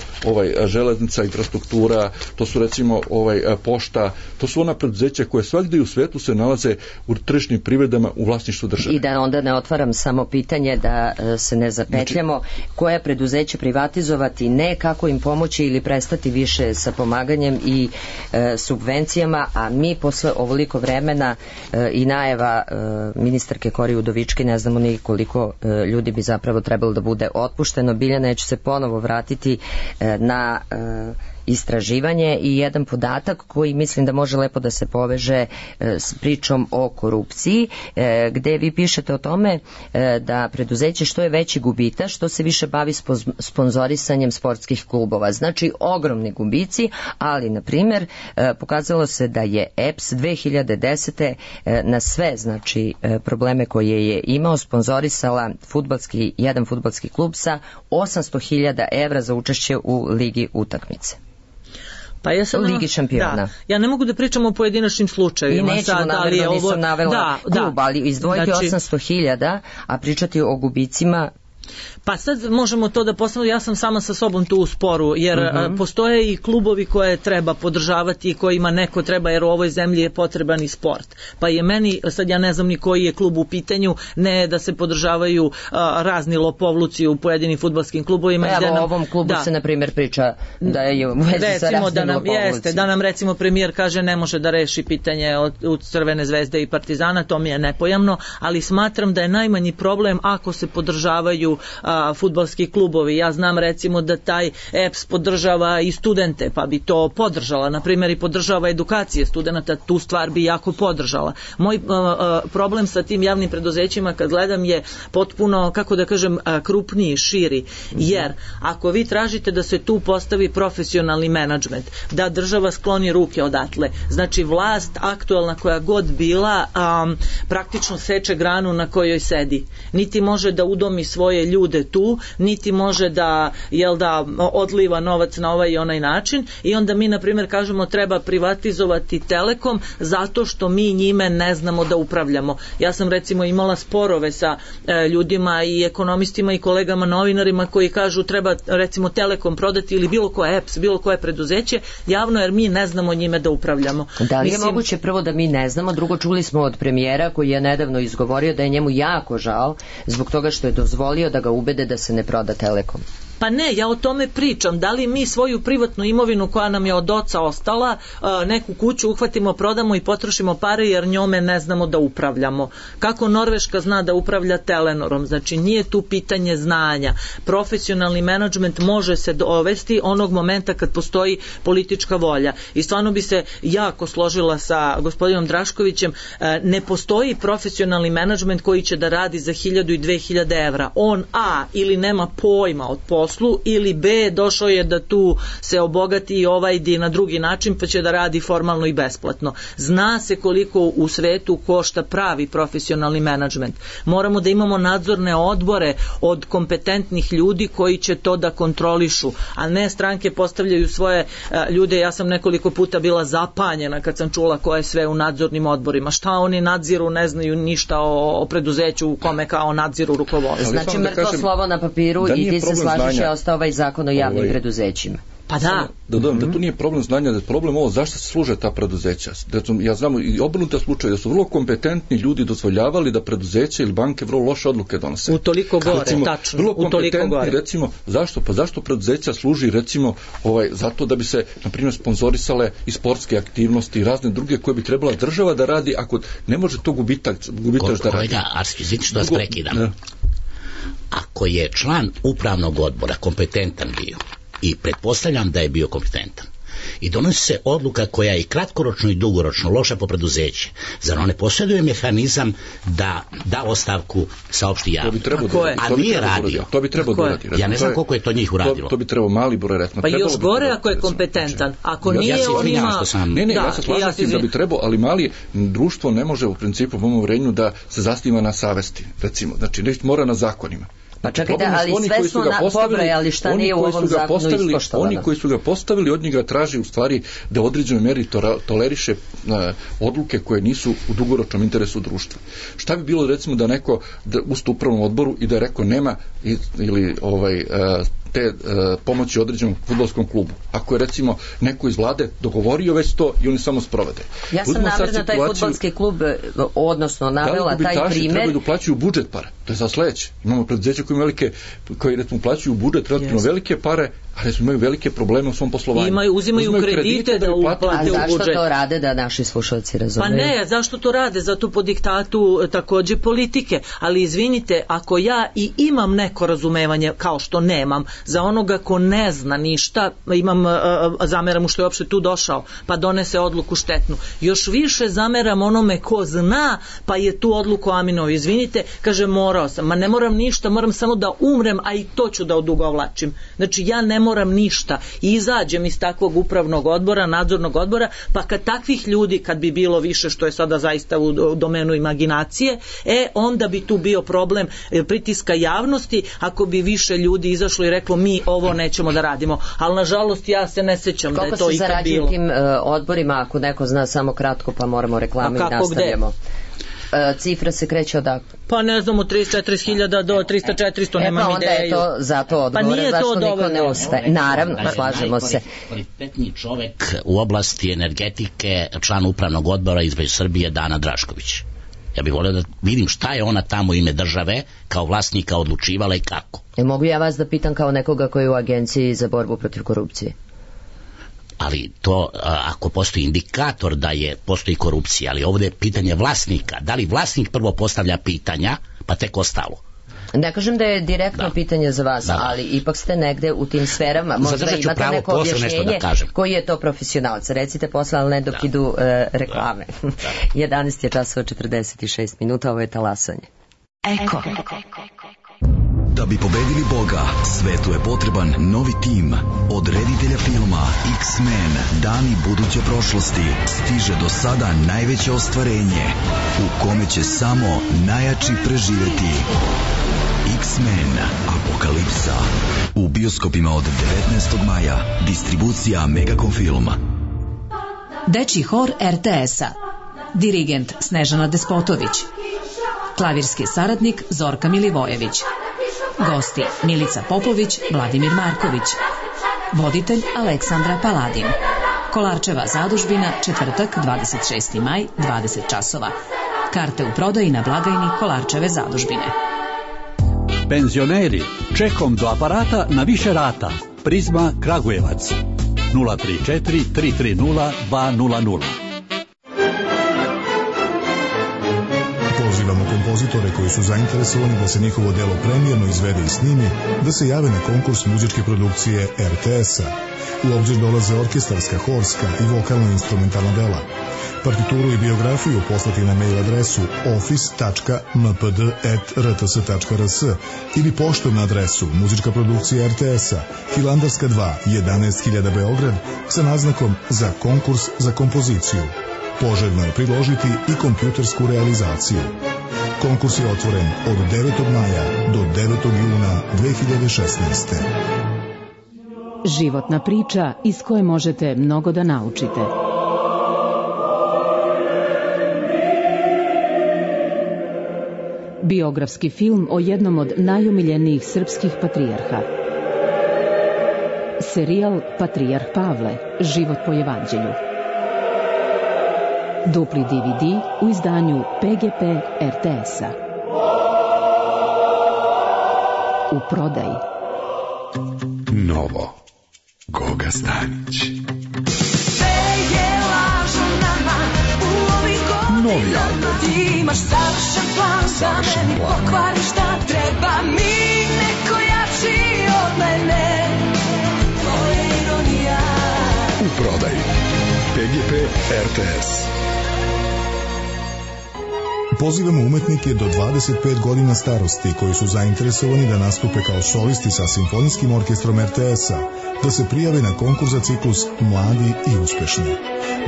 železnica, infrastruktura, to su recimo pošta, to su ona preduzeća koje svakde u svetu se nalaze u tržišnim privredama u vlasništvu države. I da onda ne otvaram samo pitanje, da se ne zapetljamo, koja preduzeća privatizovati, ne kako im pomoći ili prestati više sa pomaganjem i subvencijama, a mi posle ovoliko vremena i najava ministarke Kori Udovički, ne znamo ni koliko ljudi bi zapravo trebalo da bude otpušteno. Biljana, neću se ponovo vratiti na istraživanje i jedan podatak koji mislim da može lepo da se poveže s pričom o korupciji, gde vi pišete o tome da preduzeće što je veći gubitaš, što se više bavi sponzorisanjem sportskih klubova. Znači ogromni gubici, ali na primjer pokazalo se da je EPS 2010. Na sve znači probleme koje je imao sponzorisala jedan fudbalski klub sa 800.000 evra za učešće u ligi utakmice. Pa ja sam, Ligi šampiona. Da, ja ne mogu da pričam o pojedinačnim slučajevima. I nećemo namerno, nisam navela klub, ali izdvojiti 800.000, a pričati o gubicima. Pa sad možemo to da postavimo, ja sam sama sa sobom tu u sporu, jer postoje i klubovi koje treba podržavati i kojima neko treba, jer u ovoj zemlji je potreban i sport. Pa je meni, sad ja ne znam ni koji je klub u pitanju, ne da se podržavaju razni lopovluci u pojedinim fudbalskim klubovima. Evo, o ovom klubu se na primjer priča da je u vezi sa raznim lopovlucima. Da nam recimo premijer kaže ne može da reši pitanje od Crvene zvezde i Partizana, to mi je nepojamno, ali smatram da je najmanji problem ako se podržavaju fudbalski klubovi. Ja znam recimo da taj EPS podržava i studente, pa bi to podržala, na primjer i podržava edukacije studenta, tu stvar bi jako podržala. Moj problem sa tim javnim preduzećima kad gledam je potpuno, kako da kažem, krupniji, širi, jer ako vi tražite da se tu postavi profesionalni menadžment, da država skloni ruke odatle, znači vlast aktualna koja god bila praktično seče granu na kojoj sedi. Niti može da udomi svoje ljude tu, niti može da odliva novac na ovaj i onaj način, i onda mi na primjer kažemo treba privatizovati Telekom zato što mi njime ne znamo da upravljamo. Ja sam recimo imala sporove sa ljudima i ekonomistima i kolegama novinarima koji kažu treba recimo Telekom prodati ili bilo koje EPS, bilo koje preduzeće javno, jer mi ne znamo njime da upravljamo. Da li je moguće prvo da mi ne znamo, drugo čuli smo od premijera koji je nedavno izgovorio da je njemu jako žao zbog toga što je dozvolio da ga ubede da se ne proda Telekom. Pa ne, ja o tome pričam. Da li mi svoju privatnu imovinu koja nam je od oca ostala, neku kuću uhvatimo, prodamo i potrošimo pare jer njome ne znamo da upravljamo. Kako Norveška zna da upravlja Telenorom? Znači nije tu pitanje znanja. Profesionalni menadžment može se dovesti onog momenta kad postoji politička volja. I stvarno bi se jako složila sa gospodinom Draškovićem, ne postoji profesionalni menadžment koji će da radi za 1000 i 2000 evra. On ili nema pojma od poslu, ili B, došao je da tu se obogati i ovaj na drugi način pa će da radi formalno i besplatno. Zna se koliko u svetu košta pravi profesionalni menadžment. Moramo da imamo nadzorne odbore od kompetentnih ljudi koji će to da kontrolišu, a ne stranke postavljaju svoje ljude. Ja sam nekoliko puta bila zapanjena kad sam čula ko je sve u nadzornim odborima. Šta oni nadziru, ne znaju ništa o preduzeću u kome kao nadziru rukovodstvo. Znači mrtvo slovo na papiru i ti se slažeš je ostao ovaj zakon o javnim preduzećima. Pa da. Da dodam, da tu nije problem znanja, da je problem ovo zašto se služe ta preduzeća. Ja znam i obrnuta slučaj da su vrlo kompetentni ljudi dozvoljavali da preduzeća ili banke vrlo loše odluke donose. U toliko gore, recimo, tačno. Vrlo kompetentni, recimo, zašto? Pa zašto preduzeća služi, recimo, zato da bi se, na primjer, sponzorisale i sportske aktivnosti i razne druge koje bi trebala država da radi, ako ne može to gubitaš da radi. Kolega Arski, izvinite što vas prekidam. Ako je član upravnog odbora kompetentan bio, i pretpostavljam da je bio kompetentan, i donosi se odluka koja je i kratkoročno i dugoročno loša po preduzeće, zar on ne posjeduje mehanizam da da ostavku saopšti javno? A nije radio. To bi trebalo uraditi. Ja ne znam koliko je to njih uradilo. To bi trebalo mali broj, recimo. Pa još gore ako je kompetentan. Ako nije, on ima... Ne, ja se slažem s tim da bi trebalo, ali mali društvo ne može u principu po mom uvjerenju da se zasniva na savesti, recimo. Znači, mora na zakonima. Pa čekajte, ali sve smo pobrojali šta nije u ovom zakonu ispoštovano. Oni koji su ga postavili, od njega traži u stvari da u određenoj meri toleriše odluke koje nisu u dugoročnom interesu društva. Šta bi bilo recimo da neko ustup upravnom odboru i da je rekao nema ili te pomoći određenom fudbalskom klubu. Ako je recimo neko iz vlade dogovorio već to i oni samo sprovode. Ja sam navrno taj fudbalski klub, odnosno navela taj primjer. Trebaju da uplaćuju budžet pare. To je za sledeće. Imamo preduzeće koji recimo plaćaju budžet relativno velike pare, ali imaju velike probleme u svom poslovanju. Uzimaju kredite da uplate u budžet. A zašto to rade, da naši slušalci razumeju? Pa ne, zašto to rade? Zato po diktatu takođe politike. Ali izvinite, ako ja i imam neko razumevanje, kao što nemam, za onoga ko ne zna ništa, zameram mu što je uopšte tu došao, pa donese odluku štetnu. Još više zameram onome ko zna, pa je tu odluku aminao. Izvinite, kaže, morao sam. Ma ne moram ništa, moram samo da umrem, a i to ću da odugovlačim. Znači, ja ne moram ništa i izađem iz takvog upravnog odbora, nadzornog odbora, pa kad takvih ljudi, kad bi bilo više, što je sada zaista u domenu imaginacije, onda bi tu bio problem pritiska javnosti, ako bi više ljudi izašlo i reklo mi ovo nećemo da radimo. Ali nažalost ja se ne sećam da je to ikad bilo. Koliko se zarađuje tim odborima, ako neko zna samo kratko, pa moramo reklame i nastavljamo. Cifra se kreće odakle? Pa ne znam, od 34.000 do 300-400, nemam ideju. Onda je to zato odgovore, zašto niko ne ostaje. Naravno, slažemo se. Kvalitetni čovek u oblasti energetike, član upravnog odbora između Srbije, Dana Drašković. Ja bih volio da vidim šta je ona tamo u ime države kao vlasnika odlučivala i kako. Mogu ja vas da pitam kao nekoga koji je u Agenciji za borbu protiv korupcije? Ali to, ako postoji indikator da postoji korupcija, ali ovdje je pitanje vlasnika. Da li vlasnik prvo postavlja pitanja, pa tek ostalo? Ne kažem da je direktno pitanje za vas, ali ipak ste negde u tim sferama. Možda imate neko objašnjenje koji je to profesionalac. Recite posle, ali ne dok idu reklame. 11 je časova 46 minuta, ovo je talasanje. Eko. Da bi pobedili Boga, svetu je potreban novi tim. Od reditelja filma X-Men, dani buduće prošlosti, stiže do sada najveće ostvarenje, u kome će samo najjači preživeti. X-Men Apokalipsa. U bioskopima od 19. maja. Distribucija Megacom Film. Dečji hor RTS-a. Dirigent Snežana Despotović. Klavirski saradnik Zorka Milivojević. Gosti Milica Popović, Vladimir Marković. Voditelj Aleksandra Paladin. Kolarčeva zadužbina, četvrtak 26. maj, 20 časova. Karte u prodaji na blagajni Kolarčeve zadužbine. Penzioneri, čekom do aparata na više rata. Prizma Kragujevac 034 330 200. Pozivamo kompozitore koji su zainteresovani da se njihovo delo premijerno izvede i snimi, da se jave na konkurs muzičke produkcije RTS-a. U obzir dolaze orkestarska, horska i vokalno-instrumentalna dela. Partituru i biografiju poslati na mail adresu office.mpd@rts.rs ili poštom na adresu Muzička produkcija RTS-a, Hilandarska 2, 11.000 Beograd, sa naznakom za konkurs za kompoziciju. Poželjno je priložiti i kompjutersku realizaciju. Konkurs je otvoren od 9. maja do 9. juna 2016. Životna priča iz koje možete mnogo da naučite. Biografski film o jednom od najomiljenijih srpskih patrijarha. Serijal Patrijarh Pavle, život po evanđelju. Dupli DVD u izdanju PGP RTS-a. U prodaji. Novo. Goga Stanić. Novi album. Imaš savršen plan za meni, pokvari šta treba mi, neko jači od mene. To je ironija. U prodaji. PGP RTS. Pozivamo umetnike do 25 godina starosti koji su zainteresovani da nastupe kao solisti sa simfonijskim orkestrom RTS-a, da se prijave na konkurs za ciklus Mladi i uspešni.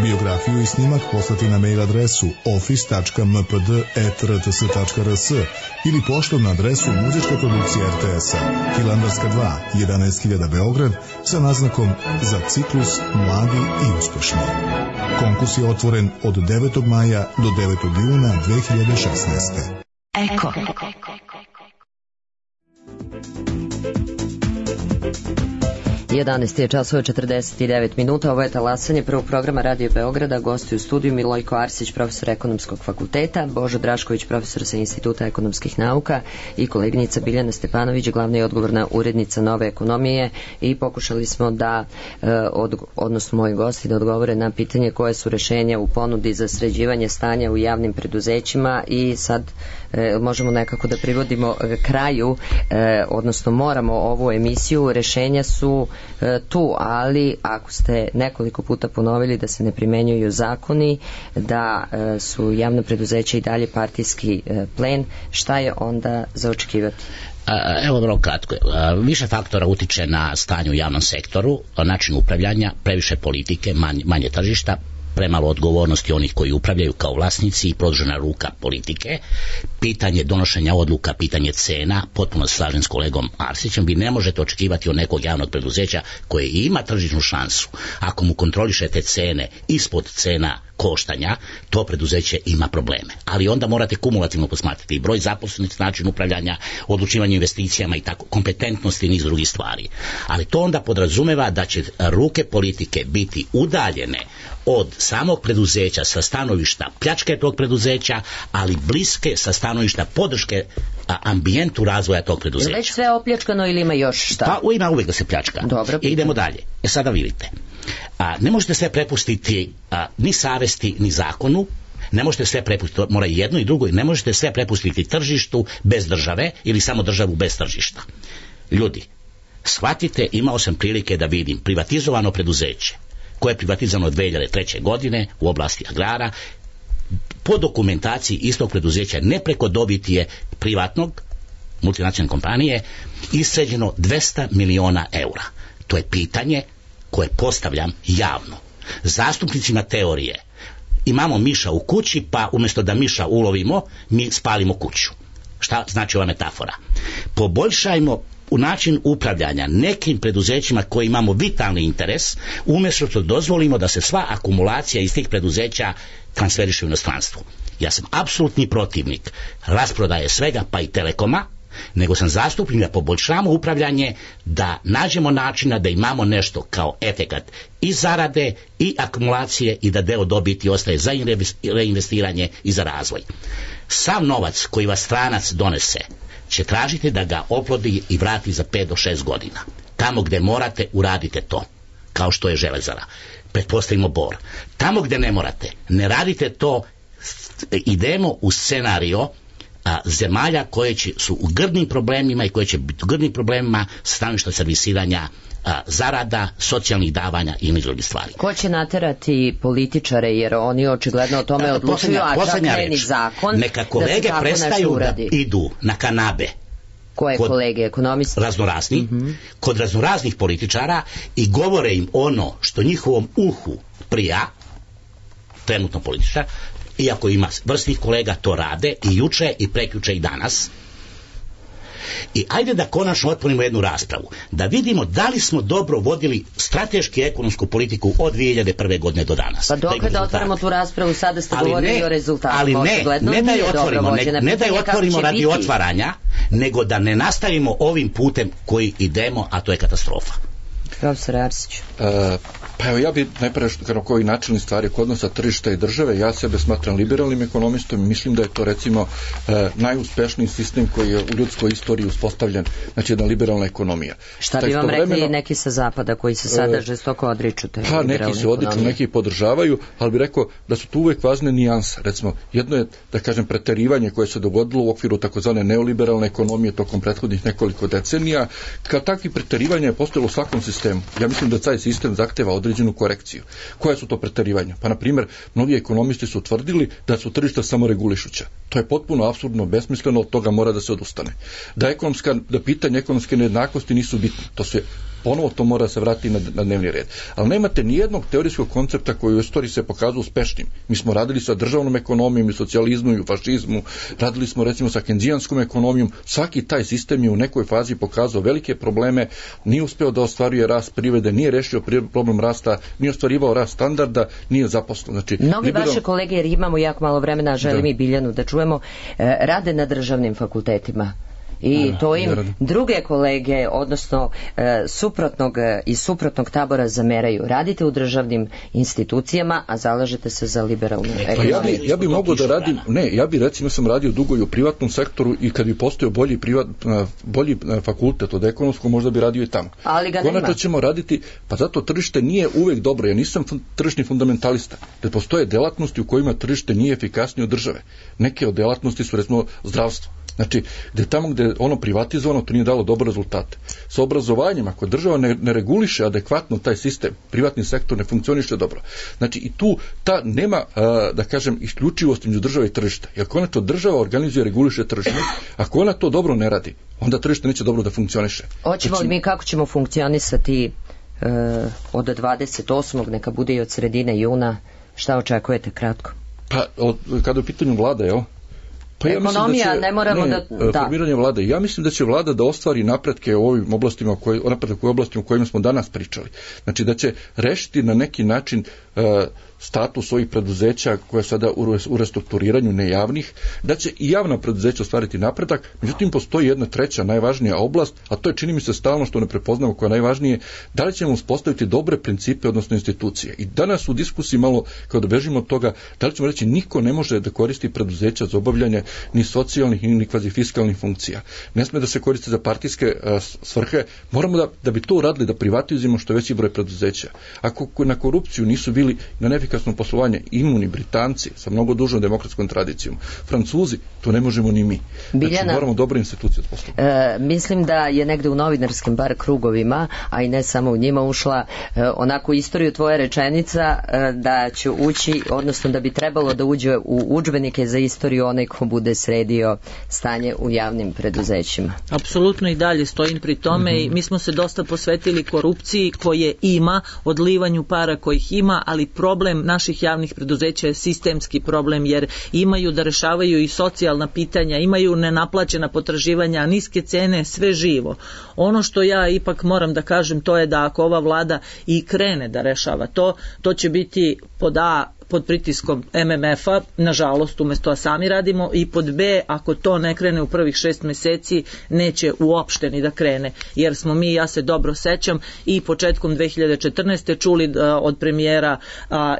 Biografiju i snimak poslati na mail adresu office.mpd@rts.rs ili poštom na adresu Muzička produkcija RTS-a, Hilandarska 2, 11.000 Beograd, sa naznakom za ciklus Mladi i uspešni. Konkurs je otvoren od 9. maja do 9. juna 2016. Eko. 11 je časova 49 minuta, ovo je talasanje prvog programa Radio Beograda, gosti u studiju Milojko Arsić, profesor ekonomskog fakulteta, Božo Drašković, profesor sa Instituta ekonomskih nauka i koleginica Biljana Stepanović, glavna i odgovorna urednica Nove ekonomije, i pokušali smo da, odnosno moji gosti, da odgovore na pitanje koje su rešenja u ponudi za sređivanje stanja u javnim preduzećima i sad možemo nekako da privodimo kraju, odnosno moramo ovu emisiju, rešenja su tu, ali ako ste nekoliko puta ponovili da se ne primenjuju zakoni, da su javna preduzeća i dalje partijski plen, šta je onda za očekivati? Evo vrlo kratko. Više faktora utiče na stanje u javnom sektoru, način upravljanja, previše politike, manje tržišta, premalo odgovornosti onih koji upravljaju kao vlasnici i produžena ruka politike, pitanje donošenja odluka, pitanje cena, potpuno se slažem s kolegom Arsićem, vi ne možete očekivati od nekog javnog preduzeća koje ima tržišnu šansu, ako mu kontrolišete cene ispod cena koštanja, to preduzeće ima probleme. Ali onda morate kumulativno posmatrati i broj zaposlenih, način upravljanja, odlučivanje investicijama i tako, kompetentnosti i niz drugih stvari. Ali to onda podrazumeva da će ruke politike biti udaljene od samog preduzeća sa stanovišta pljačke tog preduzeća, ali bliske sa stanovišta podrške ambijentu razvoja tog preduzeća. Je već sve opljačkano ili ima još šta? Pa ima uvijek da se pljačka. Dobro. I idemo dalje. Sada vidite. Ne možete sve prepustiti ni savesti ni zakonu, ne možete sve prepustiti, mora i jedno i drugo, ne možete sve prepustiti tržištu bez države ili samo državu bez tržišta. Ljudi, shvatite, imao sam prilike da vidim privatizovano preduzeće koje je privatizovano 2003. godine u oblasti agrara, po dokumentaciji istog preduzeća, ne preko dobiti je privatnog, multinacionalne kompanije, isređeno 200 miliona eura. To je pitanje koje postavljam javno. Zastupnicima teorije, imamo miša u kući, pa umjesto da miša ulovimo, mi spalimo kuću. Šta znači ova metafora? Poboljšajmo u način upravljanja nekim preduzećima koji imamo vitalni interes, umjesto što dozvolimo da se sva akumulacija iz tih preduzeća transferiše u inostranstvu. Ja sam apsolutni protivnik rasprodaje svega, pa i Telekoma, nego sam zastupnik da poboljšamo upravljanje, da nađemo načina da imamo nešto kao efekat i zarade i akumulacije i da deo dobiti ostaje za reinvestiranje i za razvoj. Sav novac koji vas stranac donese će tražiti da ga oplodi i vrati za 5 do 6 godina. Tamo gdje morate, uradite to, kao što je Železara. Pretpostavimo Bor. Tamo gdje ne morate, ne radite to, idemo u scenario zemalja koje su u grdnim problemima i koje će biti u grdnim problemima stanovišta servisiranja zarada, socijalnih davanja i niz drugih stvari. Ko će naterati političare, jer oni očigledno o tome odlučuju, a čak ne ni zakon, neka kolege prestaju da idu na kanabe. Koje kolege, ekonomisti? Raznorazni, kod raznoraznih političara i govore im ono što njihovom uhu prija, trenutno političar, iako ima vrsnih kolega, to rade i juče i prekjuče i danas. I ajde da konačno otvorimo jednu raspravu, da vidimo da li smo dobro vodili strateški ekonomsku politiku od 2001. godine do danas. Pa dok da otvorimo tu raspravu, sada ste govorili o rezultatima. Ali ne da je otvorimo radi otvaranja, nego da ne nastavimo ovim putem koji idemo, a to je katastrofa. Profesor Arsić. Pa evo, ja bi najprije koji načelni stvari kod odnosa tržišta i države, ja sebe smatram liberalnim ekonomistom i mislim da je to recimo najuspešniji sistem koji je u ljudskoj istoriji uspostavljen, znači jedna liberalna ekonomija. Šta bi vam rekli neki sa zapada koji se sada žestoko odriču te liberalne ekonomije? Neki se odriču, neki podržavaju, ali bi rekao da su tu uvek važne nijanse. Recimo, jedno je, da kažem, preterivanje koje se dogodilo u okviru takozvane neoliberalne ekonomije tokom prethodnih nekoliko decenija. Kao takvi preterivanja je postojalo u svakom sistemu. Ja mislim da taj sistem zahteva određenu korekciju. Koje su to preterivanja? Pa, na primjer, mnogi ekonomisti su tvrdili da su tržišta samoregulišuća. To je potpuno apsurdno, besmisleno, od toga mora da se odustane. Da pitanje ekonomske nejednakosti nisu bitne. Ponovo to mora se vratiti na dnevni red. Ali nemate nijednog teorijskog koncepta koji u istoriji se pokazao uspešnim. Mi smo radili sa državnom ekonomijom i socijalizmu i fašizmu, radili smo recimo sa kenzijanskom ekonomijom, svaki taj sistem je u nekoj fazi pokazao velike probleme, nije uspeo da ostvaruje rast privrede, nije rešio problem rasta, nije ostvarivao rast standarda, nije zaposlen. Znači, mnogi vaše kolege, jer imamo jako malo vremena, želim i Biljanu da čujemo, rade na državnim fakultetima. I to im druge kolege, odnosno iz suprotnog tabora zameraju. Radite u državnim institucijama, a zalažete se za liberalnu ekonomiju. Ja bi mogao da radim, ja bi recimo sam radio dugo i u privatnom sektoru i kad bi postojao bolji fakultet od ekonomskog, možda bi radio i tamo. Ali ga konačno ćemo raditi, pa zato tržište nije uvek dobro. Ja nisam tržišni fundamentalista. Da postoje delatnosti u kojima tržište nije efikasnije od države. Neke od delatnosti su recimo zdravstvo. Znači, tamo gde je ono privatizovano, to nije dalo dobre rezultate. Sa obrazovanjem, ako država ne reguliše adekvatno taj sistem, privatni sektor ne funkcioniše dobro. Znači, i tu nema, da kažem, isključivost između države i tržišta. Jer konačno država organizuje, reguliše tržište. Ako ona to dobro ne radi, onda tržište neće dobro da funkcioniše. Hoćemo li mi kako ćemo funkcionisati od 28. neka bude i od sredine juna? Šta očekujete kratko? Pa, kada je u pitanju vlada, jel? Pa ekonomija, ne moramo formiranje vlade. Ja mislim da će vlada da ostvari napretke u ovim oblastima, u kojima smo danas pričali. Znači da će rešiti na neki način status ovih preduzeća koje sada u restrukturiranju nejavnih, da će i javna preduzeća ostvariti napredak, međutim postoji jedna treća najvažnija oblast, a to je čini mi se stalno što ne prepoznamo koja je najvažnije, da li ćemo uspostaviti dobre principe, odnosno institucije. I danas u diskusiji malo, kao da bežimo od toga, da li ćemo reći niko ne može da koristi preduzeća za obavljanje ni socijalnih ni kvazifiskalnih funkcija. Ne sme da se koriste za partijske svrhe, moramo da bi to uradili, da privatizujemo što veći broj preduzeća. Ako na korupciju nisu bili na efikasno poslovanje imuni Britanci sa mnogo dužom demokratskom tradicijom, Francuzi, to ne možemo ni mi. Znači, moramo dobre institucije od poslovanja. Mislim da je negde u novinarskim bar krugovima, a i ne samo u njima, ušla onako istoriju tvoja rečenica da će ući, odnosno da bi trebalo da uđe u udžbenike za istoriju onaj ko bude sredio stanje u javnim preduzećima. Apsolutno i dalje stojim pri tome i mi smo se dosta posvetili korupciji koje ima, odlivanju para kojih ima, ali problem naših javnih preduzeća je sistemski problem, jer imaju da rešavaju i socijalna pitanja, imaju nenaplaćena potraživanja, niske cene, sve živo. Ono što ja ipak moram da kažem, to je da ako ova vlada i krene da rešava to će biti pod pritiskom MMF-a, nažalost, umjesto sami radimo, i pod B, ako to ne krene u prvih 6 meseci, neće uopšte ni da krene, jer smo mi, ja se dobro sećam, i početkom 2014. čuli od premijera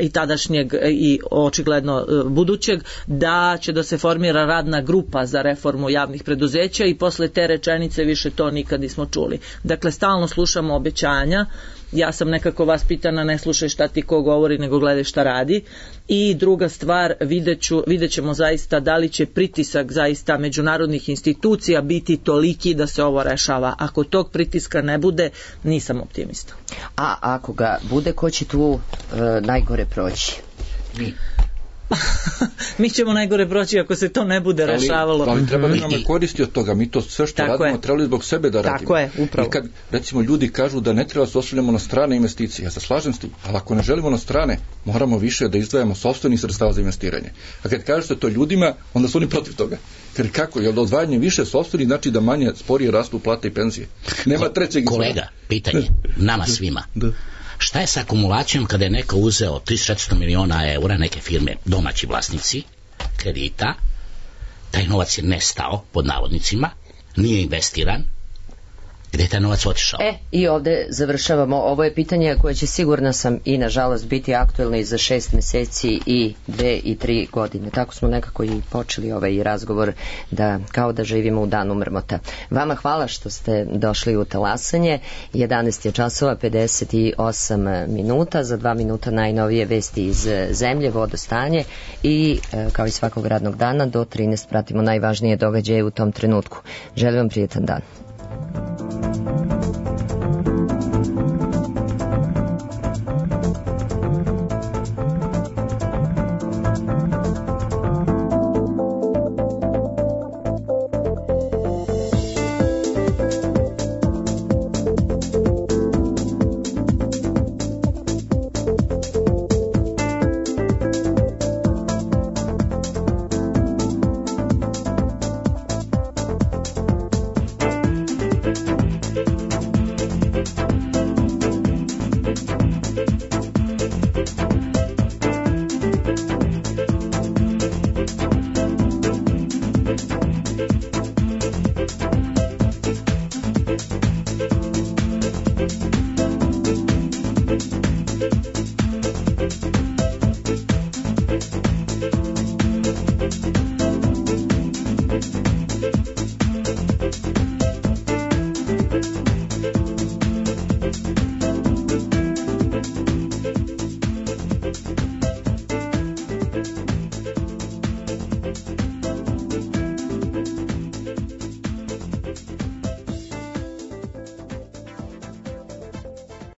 i tadašnjeg i očigledno budućeg, da će da se formira radna grupa za reformu javnih preduzeća i posle te rečenice više to nikad nismo čuli. Dakle, stalno slušamo obećanja. Ja sam nekako vaspitana, ne slušaj šta ti ko govori, nego gledaj šta radi. I druga stvar, vidjet ćemo zaista da li će pritisak zaista međunarodnih institucija biti toliki da se ovo rešava. Ako tog pritiska ne bude, nisam optimista. A ako ga bude, ko će tu najgore proći? Mi ćemo najgore proći ako se to ne bude rešavalo. Ali treba da nam koristi od toga. Mi to sve što radimo trebali zbog sebe da radimo. Tako je, upravo. I kad recimo ljudi kažu da ne treba se osvrljamo na strane investicije, ja se slažem s tim, ali ako ne želimo na strane, moramo više da izdvajamo sopstvenih sredstava za investiranje. A kad kažete to ljudima, onda su oni protiv toga. Jer kako? Jer da odvajanje više sopstvenih znači da manje sporije rastu plate i penzije. Nema trećeg izvora. Kolega, pitanje nama svima. Šta je sa akumulacijom kada je neko uzeo 300 miliona eura, neke firme, domaći vlasnici, kredita, taj novac je nestao, pod navodnicima, nije investiran, gde je taj novac otišao? I ovde završavamo. Ovo je pitanje koje će, sigurna sam, i nažalost biti aktuelno i za 6 meseci i 2 i 3 godine. Tako smo nekako i počeli ovaj razgovor, da kao da živimo u danu mrmota. Vama hvala što ste došli u talasanje. 11 je časova 58 minuta. Za 2 minuta najnovije vesti iz zemlje, vodostanje i kao i svakog radnog dana do 13 pratimo najvažnije događaje u tom trenutku. Želim vam prijetan dan.